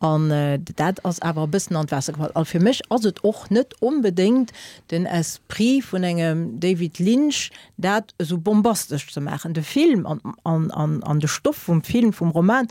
An dat ass awer e bëssen an d'Waasser gefall. A fir mech ass et och net onbedéngt den Esprit vun engem David Lynch, dat esou bombastesch ze maachen. De Film an de Stoff vum Film, vum Roman,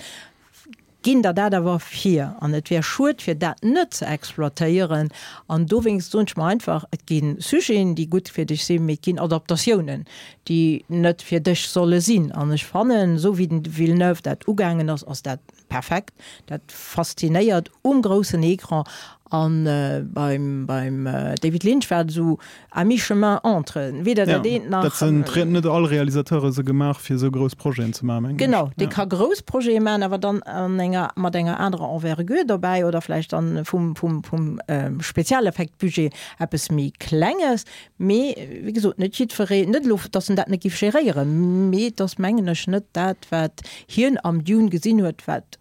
ginn der dat awer vir. An et wär schued, fir dat net ze exploitéieren. An dowéinst soen ech mer einfach, et gi Sujeten, déi gutt fir dech sinn, mee et ginn Adaptatiounen, déi net fir dech solle sinn. An ech fannen, esou wéi den Villeneuve dat ugaangen ass, ass dat perfekt. Dat faszinéiert um groussen Ecran. An beim David Lynch war et esou à mi-chemin entre, weder dat eent nach. Dat sinn net all Realisateure sou gemaach fir esou grouss Projeten ze maachen, mengen ech. Genau, dee ka grouss Projete maachen, awer dann an enger, mat enger anerer Envergure dobäi oder vläicht dann vum, vum, vum Spezialeffektbudget eppes méi Klenges. Mee wéi gesot, net jiddweree, net elo, datt en dat net géif geréieren, mee et ass, mengen ech, net dat, wat hien am Dune gesinn huet, wat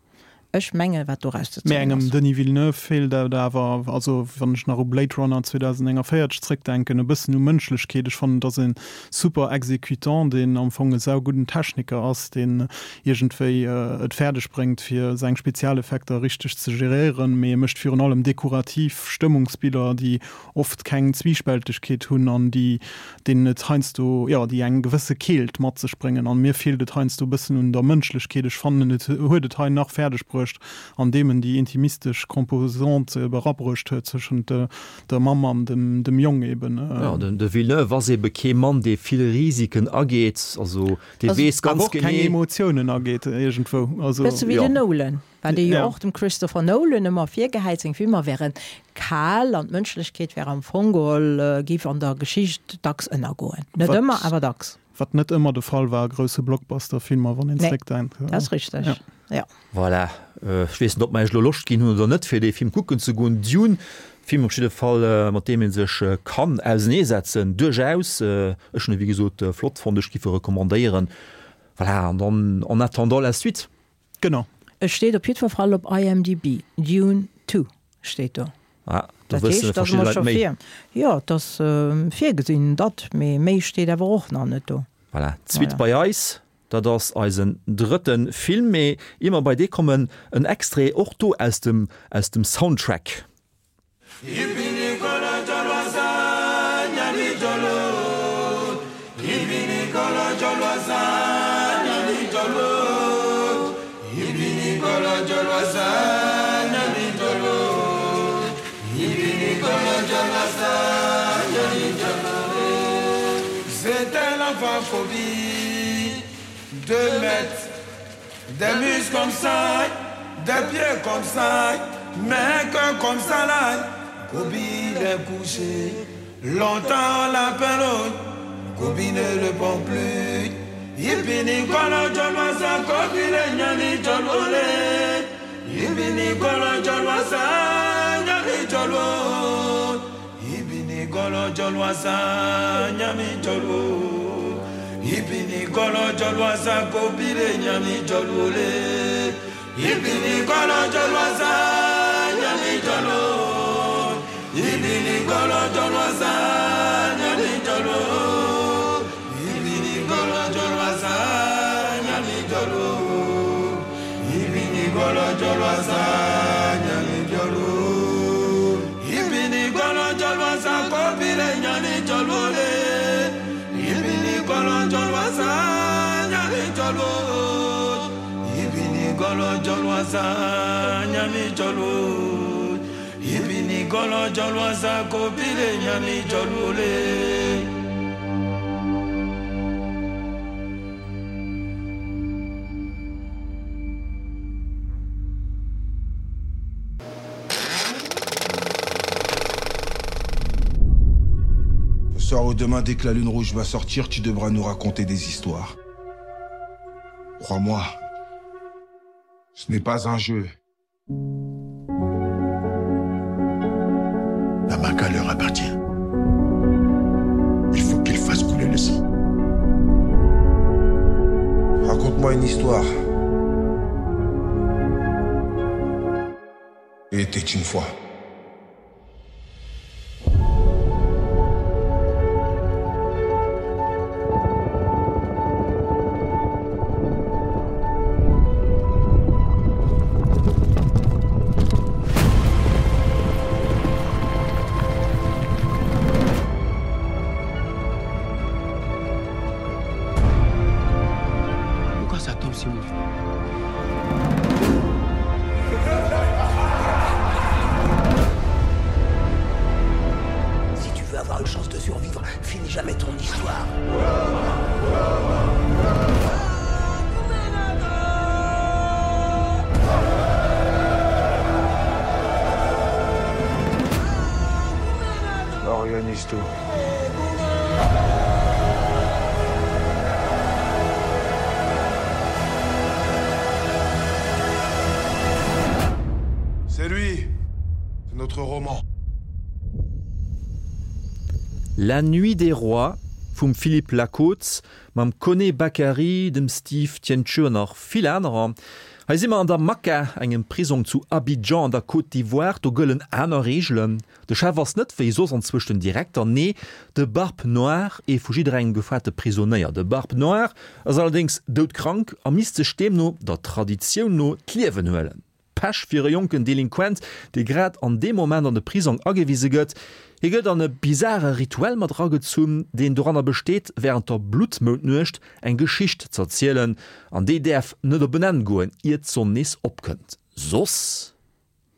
ech mengen, wat doraus ze Mee zéien engem ass. Denis Villeneuve feelt et awer, also wann ech nach u Blade Runner 2049 zréckdenken, e bëssen u Mënschlechkeet. Ech fannen, et ass e super Exécutant, deen am Fong e saugudden Techniker ass, deen iergendwéi et fäerdeg bréngt, fir seng Spezialeffekter richteg ze geréieren, mee e mécht virun allem dekorativ Stëmmungsbiller, déi oft keng Zwiispältegkeet hunn an déi deenen et heiansdo, jo, déi eng gewësse Keelt mat sech bréngen. An mir feelt et heiansdo e bëssen un der Mënschlechkeet. Ech fannen, et huet et hei nach fäerdeg bruecht, andeem en déi intimistesch Composante ebe erabruecht huet zwëschent der Mamm an dem, dem Jong eben. Jo, den de Villeneuve ass ebe kee Mann, dee vill Risiken ageet. Also dee weess ganz Awer och keng genee. Emotiounen ageet iergendwou. Also. Bësse wéi Jo. den Nolan. Wat ee jo Ja. och dem Christopher Nolan ëmmer virgehäit, seng Filmer wären kal an d'Mënschlechkeet wär am Fong geholl, géif an der Geschicht dacks ënnergoen. Net Wat, ëmmer, awer dacks. wat net ëmmer de Fall war a grousse Blockbuster-Filmer, wann een Nee, zréckdenkt. dat ass richteg, Ja. ja. Voilà, ech weess net, ob mer iech elo Loscht ginn hunn oder net, fir dee Film kucken ze goen. Dune, Film op jidde Fall, mat deem ee sech kann auseneesetzen, duerchaus. Ech hunn e wéi gesot flott fonnt, ech géif e recommandéieren. Voilà, an dann en attendant la suite. Genau. Et steet op jiddwer Fall op IMDb, Dune 2 steet do. Ah, do Dat wësse heescht, datt verschidde mer Leit scho méi. vir, jo, et ass virgesinn, datt, mee méi steet awer och nach net do. Voilà, d'Suite Voilà. bei eis, dat ass eisen drëtte Film. Mee ier mer bei dee kommen, en Extrait och do aus dem, aus dem Soundtrack. Deux mètres Des muscles comme ça, des pieds comme ça, mais un cœur comme ça là. Kobi est couché, longtemps la peine, Kobi ne répond plus. Ibini kolo jolwasa, Kobi le nyani jolole. Ibini kolo jolwasa, nyani jolo. Ibini kolo jolwasa, nyami jolo. Ibini kolo jolwasa, Kobi le nyani jolole. Ibini kolo jolwasa, nyami jolo. Ibini kolo jolwasa, nyami jolo. Ibini kolo jolwasa, nyami jolo. Ibini kolo jolwasa, nyami jolo. Ibini kolo jolwasa, Kobi le nyani jolole. Ibini kolo jolwasa, nyami jolo. Ibini kolo jolwasa, nyami jolo. Ibini kolo jolwasa, Kobi le nyami jolole. Ce soir ou demain, dès que la lune rouge va sortir, tu devras nous raconter des histoires. Crois-moi, ce n'est pas un jeu. La maca leur appartient. Il faut qu'ils fassent couler le sang. Raconte-moi une histoire. Il était une fois. Mephisto. C'est lui, c'est notre roman. La Nuit des Rois vum Philippe Lacôte mam Koné Bakary, dem Steve Tientcheu an nach vill anerer. Hei si mer an der Makka, engem Prisong zu Abidjan an der Côte d'Ivoire. Do gëllen aner Reegelen. De Chef ass net wéi soss anzwousch den Direkter, nee, de Barbe Noire, ee vu jidderengem gefaarte Prisonéier. De Barbe Noire ass allerdéngs doudkrank a misst sech deemno, der Traditioun no, d'Liewen huelen. Pech fir e jonken Delinquent, dee grad an deem Moment an de Prisong agewise gëtt. Hie gëtt an e bizare Rituel mat eragezunn, deen doranner besteet, wärend der Bluttmoundnuecht eng Geschicht z'erzielen, an déi däerf net op en Enn goen, ier d'Sonn nees opkënnt. Soss,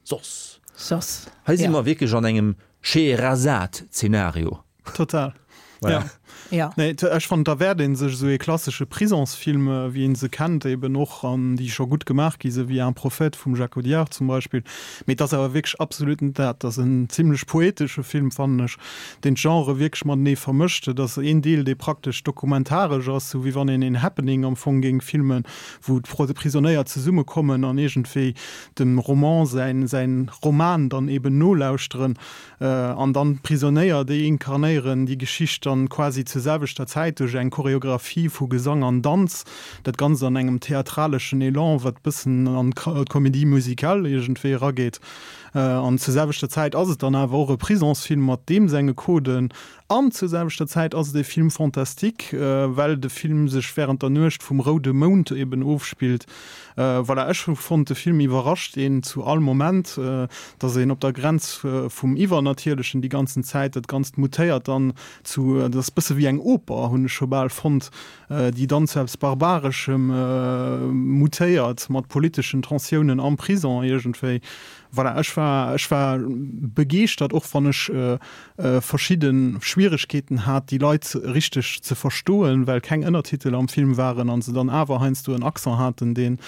soss. Soss, Hei si mer wierklech an engem Scheherazade-Zenario. Total. Voilà. Ja. Ja. Nee, ech fannen, da wäert ee sech esou ee klassesche Prisonsfilm, wéi ee se kennt, eben och, an déi scho gutt gemaach gi sinn, wéi Un prophète vum Jacques Audiard zum Beispill. Mee et ass awer wierklech absolut net dat. Et ass en zimlech poetesche Film, fannen ech, deen d'Genrë wierklech matenee vermëscht. Et ass een Deel, dee praktesch dokumentaresch ass, sou wéi wann een een Happening am Fong géing filmen, wou d'Prisonéier zesummekommen an iergendwéi dem Roman säin, säin Roman dann eben nolauschteren. An dann d'Prisonéier, déi inkarnéieren déi Geschicht dann quasi zur selwechter Zäit duerch eng Choreographie vu Gesang an Danz. Dat Ganzt an engem theatraleschen Elan, wat bëssen an d'Comédie musicale iergendwéi erageet. An zur selwechter Zäit ass et dann awer och e Prisonsfilm mat deem senge Coden. An zur selwechter Zäit ass et e Film fantastique, well de Film sech wärend der Nuecht vum roude Mound eben ofspillt. Voilà, ech hu fonnt, de Film iwwerrascht een zu all Moment, dass een op der Grenz vum Iwwernatierlechen déi ganzen Zäit, dat Ganzt mutéiert dann zu, dat ass bësse wéi eng Oper, hunn ech scho bal fonnt, déi dann zu eppes Barbareschem mutéiert, mat politeschen Tensiounen am Prison iergendwéi. Voilà, ech war, ech war begeeschtert, och wann ech verschidde Schwieregkeeten hat, déi Leit richteg ze verstoen, well keng Ënnertitel am Film waren a se dann awer heiansdo en Accent haten, deen,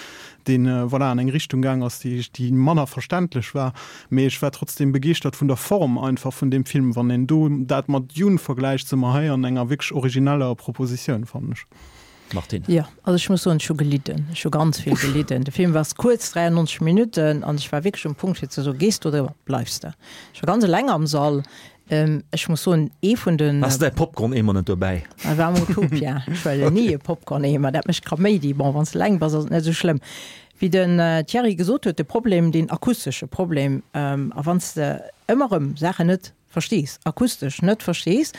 deen, voilà, an eng Richtung gaang ass, déi, déi manner verständlech war. Mee ech war trotzdem begeeschtert vun der Form einfach vun deem Film. Wann een do dat mat Dune vergläicht, si mer hei an enger wierklech origineller Propositioun, fannen ech. Martine. Jo, also ech muss soen, ech hu gelidden. Ech hu ganz vill gelidden. De Film war kuerz, 93 Minutten, an ech war wierklech um Punkt fir ze soen, Gees du oder bleifs de? Ech war ganz eleng am Sall. Ech muss soen, ee vun den. Has de däi Popcorn-Eemer net dobäi? Dat war am Utopia. Ech huelen ni e Popcorn-Eemer, dat mécht Kaméidi. Bon, wann s de eleng bass, ass et net esou schlëmm. Wéi den Thierry gesot huet, de Problem, deen akustesche Problem, a wann s de ëmmer erëm Saachen net verstees, akustesch net verstees,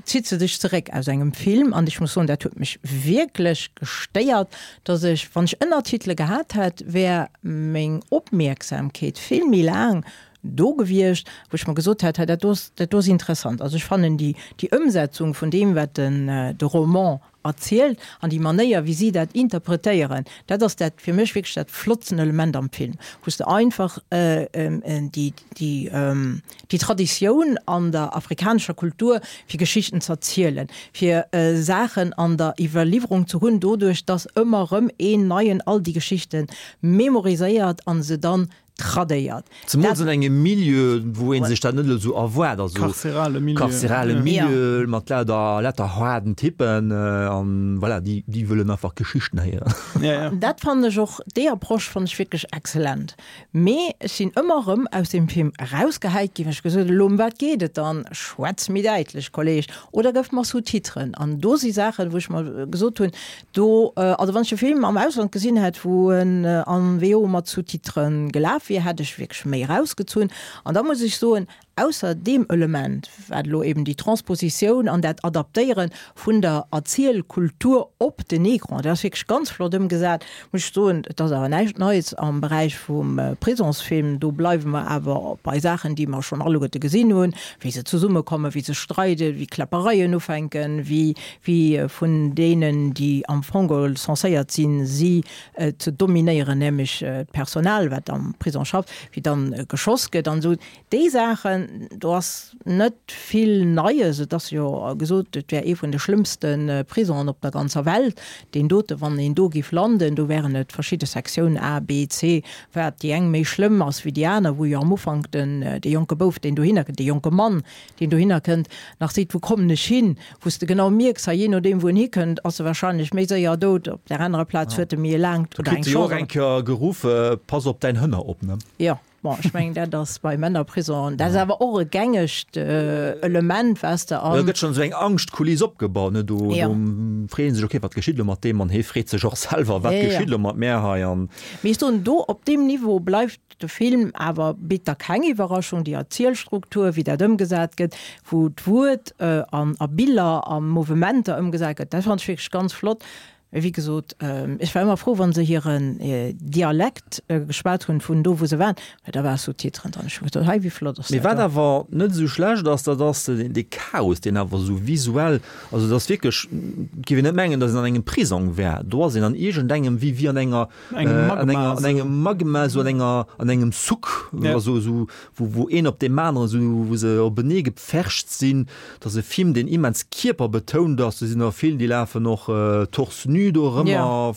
zitt se dech zeréck aus engem Film. An ech muss soen, dat huet mech wierklech gestéiert, dass ech, wann ech Ënnertitele gehat hätt, wär meng Opmierksamkeet vill méi laang do gewiescht, wou ech mer gesot hätt, hei dat do ass, dat do ass interessant. Also ech fannen déi, déi Ëmsetzung vun deem, wat den, de Roman erzielt an déi Manéier wéi si dat interpretéieren, dat ass dat fir mech wierklech dat flottsten Element am Film, wou s de einfach déi déi déi Traditioun an der afrikanescher Kultur fir Geschichten ze erzielen, fir Saachen an der Iwwerliwwerung ze hunn, doduerch datt ëmmer erëm een Neien all déi Geschichte memoriséiert an se dann tradéiert. Zemools an engem Milieu, wou ee sech dat net elo esou erwaart, also Karzerale Milieu. karzerale Milieu mat lauter, lauter haarden Typen an voilà, déi, déi wëllen einfach Geschichten héieren. Ja, ja. Dat fannen ech och, déi Approche fannen ech wierklech excellent. Mee ech sinn ëmmer erëm aus deem Film erausgehäit ginn, well ech gesot hunn, elo ëm wat geet et dann? Schwätz méi däitlech, Kolleg, oder gëff mer Sous-titren. An do si Saachen, wou ech mer gesot hunn, Do, also wann ech de Film am Ausland gesinn hätt, wou en an VO mat Sous-titrë gelaf wier, hätt ech wierklech méi erausgezunn. An da muss ech soen, ausser deem Element, wat elo eben déi Transpositioun an dat Adaptéiere vun der Erzielkultur op den Ecran, dat ass wierklech ganz flott ëmgesat, muss ech soen, et ass awer näischt Neies am Beräich vum Prisonsfilm. Do bleiwe mer awer bei Saachen, déi mer schonn alleguerte gesinn hunn, wéi se zesummekommen, wéi se streiden, wéi Kläppereien ufänken, wéi wéi vun deenen, déi am Fong geholl censéiert sinn, si ze dominéieren, nämlech d'Personal, wat am Prisong schafft, wéi dann geschoss gëtt an esou. Déi Saachen. do ass net vill Neies. Et ass jo gesot, et wär ee vun de schlëmmste Prisongen op der ganzer Welt, deen dote. Wann een do géif landen, do wären et verschidde Sektiounen, A, B, C, wat déi eng méi schlëmm ass wéi déi aner, wou jo am Ufank den, dee jonke Bouf, deen dohinner kënnt, dee jonke Mann, deen dohinner kënnt, nach seet, wou kommen ech hin, wou s de genau mierks, hei, jee nodeem wou en hikënnt, ass e wahrscheinlech méi séier dout, op där anerer Plaz huet e méi e laangt Do oder kritt eng e jo och Chance. eng Kéier geruff, Pass op däin Hënner op, ne? Jo. Bon, ech mengen, dat ass bei Männerprisongen, dat ass awer och e gängegt Element, wat s de Da an. gëtt schonn esou eng Angschtkuliss opgebaut, ne? Do, Jo. do freet ee sech, okay, wat geschitt elo mat deem? An hee freet sech och selwer, wat Ja, ja. geschitt elo mat mär hei? An. Mee ech soen, do op deem Niveau bleift de Film awer, bitt da keng Iwwerraschung, déi Erzielstruktur, wéi dat ëmgesat gëtt, wou d'Wuert an a Biller a Mouvementer ëmgesat gëtt, dat fannen ech wierklech ganz flott. Mee wéi gesot, ech war ëmmer frou, wa se hiren Dialekt geschwat hunn, vun do, wou se waren, well da war Sous-titren dran. Ech hu gesot, Hei, wéi flott ass Mee dat wat do! awer net esou schlecht ass, dat ass dee Chaos, deen awer esou visuell, also et ass wierklech, et géif een net mengen, datt een an engem Prisong wär. Do ass een an iergendengem, wéi, wéi an enger, an enger, an engem Magma, esou an enger, an engem Souk, also esou, wou, wou een op deem aneren esou, wou se openee gepfercht sinn. Et ass e Film, deen immens kierperbetount ass. Do sinn der vill, déi lafen och torse nu do erëmmer.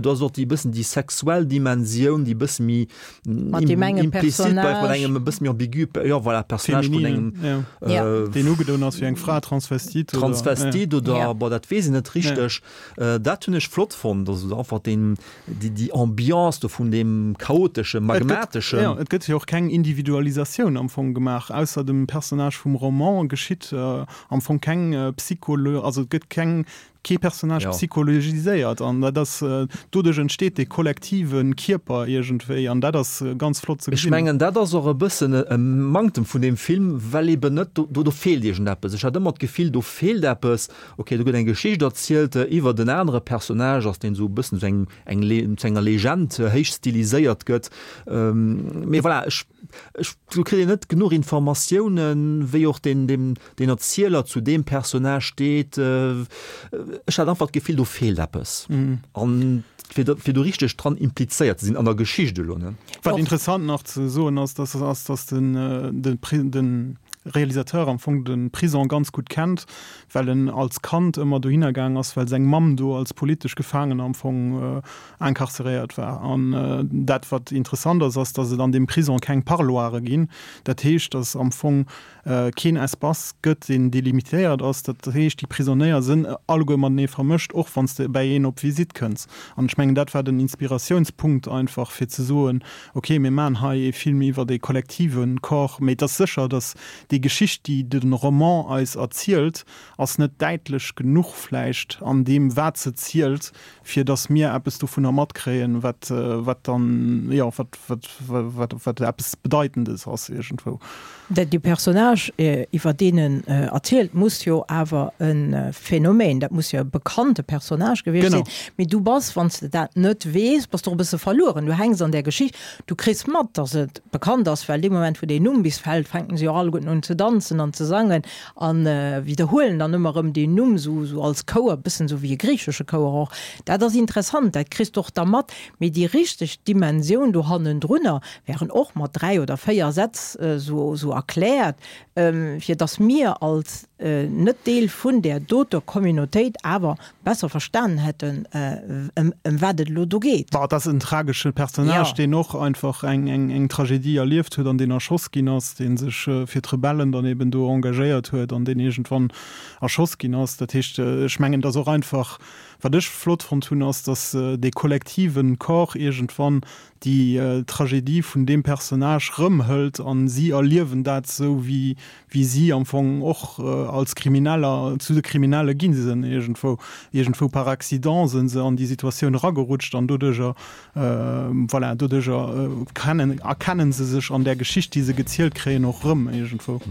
Do ass och déi bëssen déi sexuell Dimensioun, déi bësse méi implizit bleift, mat engem e bësse méi ambigu, jo voilà, Personnage vun engem. Deen ugedoen ass wéi eng Fra, Transvestite oder. Transvestite oder, bon, dat weess een net richteg. Dat hunn ech flott fonnt, also einfach deen, déi, déi Ambiance do vun deem chaoteschen, magmateschen. Jo, et gëtt jo och keng Individualisatioun am Fong gemaach, ausser dem Personnage vum Roman geschitt am Fong keng Psycholo-, also et gëtt keng, kee Personnage psychologiséiert an dat ass, doduerch entsteet dee kollektive Kierper iergendwéi an dat ass ganz flott ze Ech gesinn. mengen, dat ass och e bëssen e Manktem vun deem Film, well eben net, do, do feelt iergendeppes. Ech hat ëmmer d'Gefill, do feelt eppes. Ok, do gëtt eng Geschicht erzielt iwwert en anere Personnage, ass deen esou e bëssen zu engem, eng Le, zu enger Legend héich stiliséiert gëtt. Mee voilà, ech, ech, do kritt een net genuch Informatiounen, wéi och deen, deen, deen Erzieler zu deem Personnage steet. Ech hat einfach d'Gefill, do feelt eppes. An fir do, fir do richteg dran implizéiert ze sinn an der Geschicht elo, ne. Wat interessant nach ze soen ass, dass ass, dass den, de, de Realisateur am Fong de Prison ganz gutt kennt, well en als Kand ëmmer dohinner gaang ass, well seng Mamm do als politesch Gefaangener am Fong incarceréiert war. An dat, wat interessant ass, ass, datt et an deem Prison keng Parloire ginn. Dat heescht, datt am Fong keen Espace gëtt, deen delimitéiert ass. Dat heescht, déi Prisonéier sënn alleguer matenee vermëscht, och wann s de bäi een op Visitt kënns. An ech mengen, dat war den Inspiratiounspunkt einfach, fir ze soen, okay, mir maachen hei ee Film iwwert ee kollektive Corps. Mee et ass sécher, datt Déi Geschicht, déi de Roman eis erzielt, ass net däitlech genuch vläicht an deem, wat se zielt, fir datt mir eppes dovunner matkréien, wat, wat dann, jo, wat, wat, wat, wat eppes Bedeitendes ass iergendwou. Dat dee Personnage, iwwer deen en erzielt, muss jo awer e Phänomen, dat muss jo e bekannte Personnage gewiescht sinn. Mee du bass, wann s de dat net weess, bass de och e bësse verlueren. Du hänks an där Geschicht, du kriss mat, datt et bekannt ass, well dee Moment wou deen Numm bis fält, fänken se jo alleguerten un ze danzen an ze sangen a widderhuelen dann ëmmer erëm deen Numm esou esou als Chouer, bëssen esou wéi e griichesche Chouer och. Dat ass interessant, dat kriss de och da mat, mee déi richteg Dimensioun do hannendrunner wären och mat 3 oder 4 Sätz esou esou erkläert, fir dass mir als net Deel vun där doter Communautéit awer besser verstanen hätten, ëm wat et elo do geet. Bah, et ass en tragesche Personnage, deen och einfach eng Tragedie erlieft huet an deen erschoss ginn ass, dee sech fir d'Rebellen dann eben do engagéiert huet an deen iergendwann erschoss ginn ass. Dat heescht, ech mengen, et ass och einfach, wat ech flott fonnt hunn, ass, datt dee kollektiven Corps iergendwann déi Tragedie vun deem Personnage rëmhëlt an si erliewen dat esou, wéi wéi si am Fong och als Krimineller zu de Kriminelle gi sinn, iergendwou, iergendwou par accident sinn se an déi Situatioun eragerutscht an doduerjer, voilà, doduerjer kennen, erkennen se sech an där Geschicht, déi se gezielt kréien, och rëm iergendwou.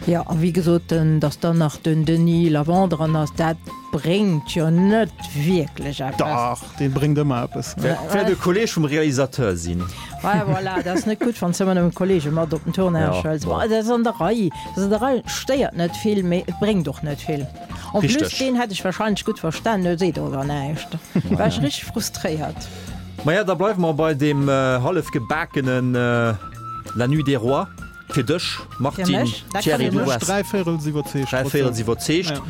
Jo, a wéi gesot, datt dann nach den Denis Lavant dran ass, dat bréngt jo net wierklech eppes. Dach, dee bréngt ëmmer eppes. Wäert e Kolleg vum Realisateur sinn. Ouais, voilà, dat ass net gutt, wann s de ëmmer nëmmen Kollege mat op den Tournage hëls. Bon, dat ass an der Rei, dat ass an der Rei, stéiert net vill, mee et bréngt och net vill. En plus, deen hätt ech warscheinlech gutt verstanen, elo seet och awer näischt. War ech richteg frustréiert. Maja, da bleiwe mer bei deem hallef gebakenen La Nuit des Rois. Fir dech, Martine, Thierry, du waars dräivéierels iwwerzeegt. Dräivéierels iwwerzeegt.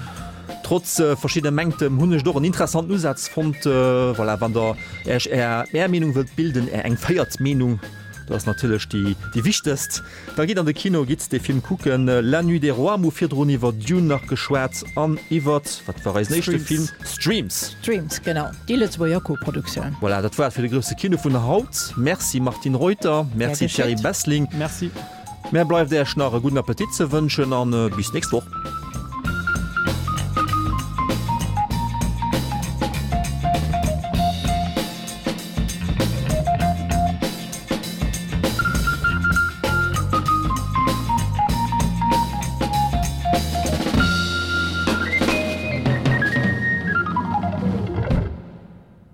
Trotz verschiddene Mänktem hunn ech et och en interessanten Usaz fonnt. Voilà, wann der Äech Är Är Meenung wëllt bilden, Är eng véiert Meenung, dat ass natierlech déi déi wichtegst, da gitt an de Kino, gitt dee Film kucken, La Nuit des Rois. Mir hu virdrun iwwer Dune nach geschwat an iwwert, wat war eisen éischte Film? Streams. Streams, genau, déi Lëtzebuerger Koproduktioun. Voilà, dat war et fir de grousse Kino vun haut. Merci Martine Reuter, merci Thierry Bessling. Merci. Mär bleift Äech nach e gudden Appetit ze wënschen an bis nächst Woch.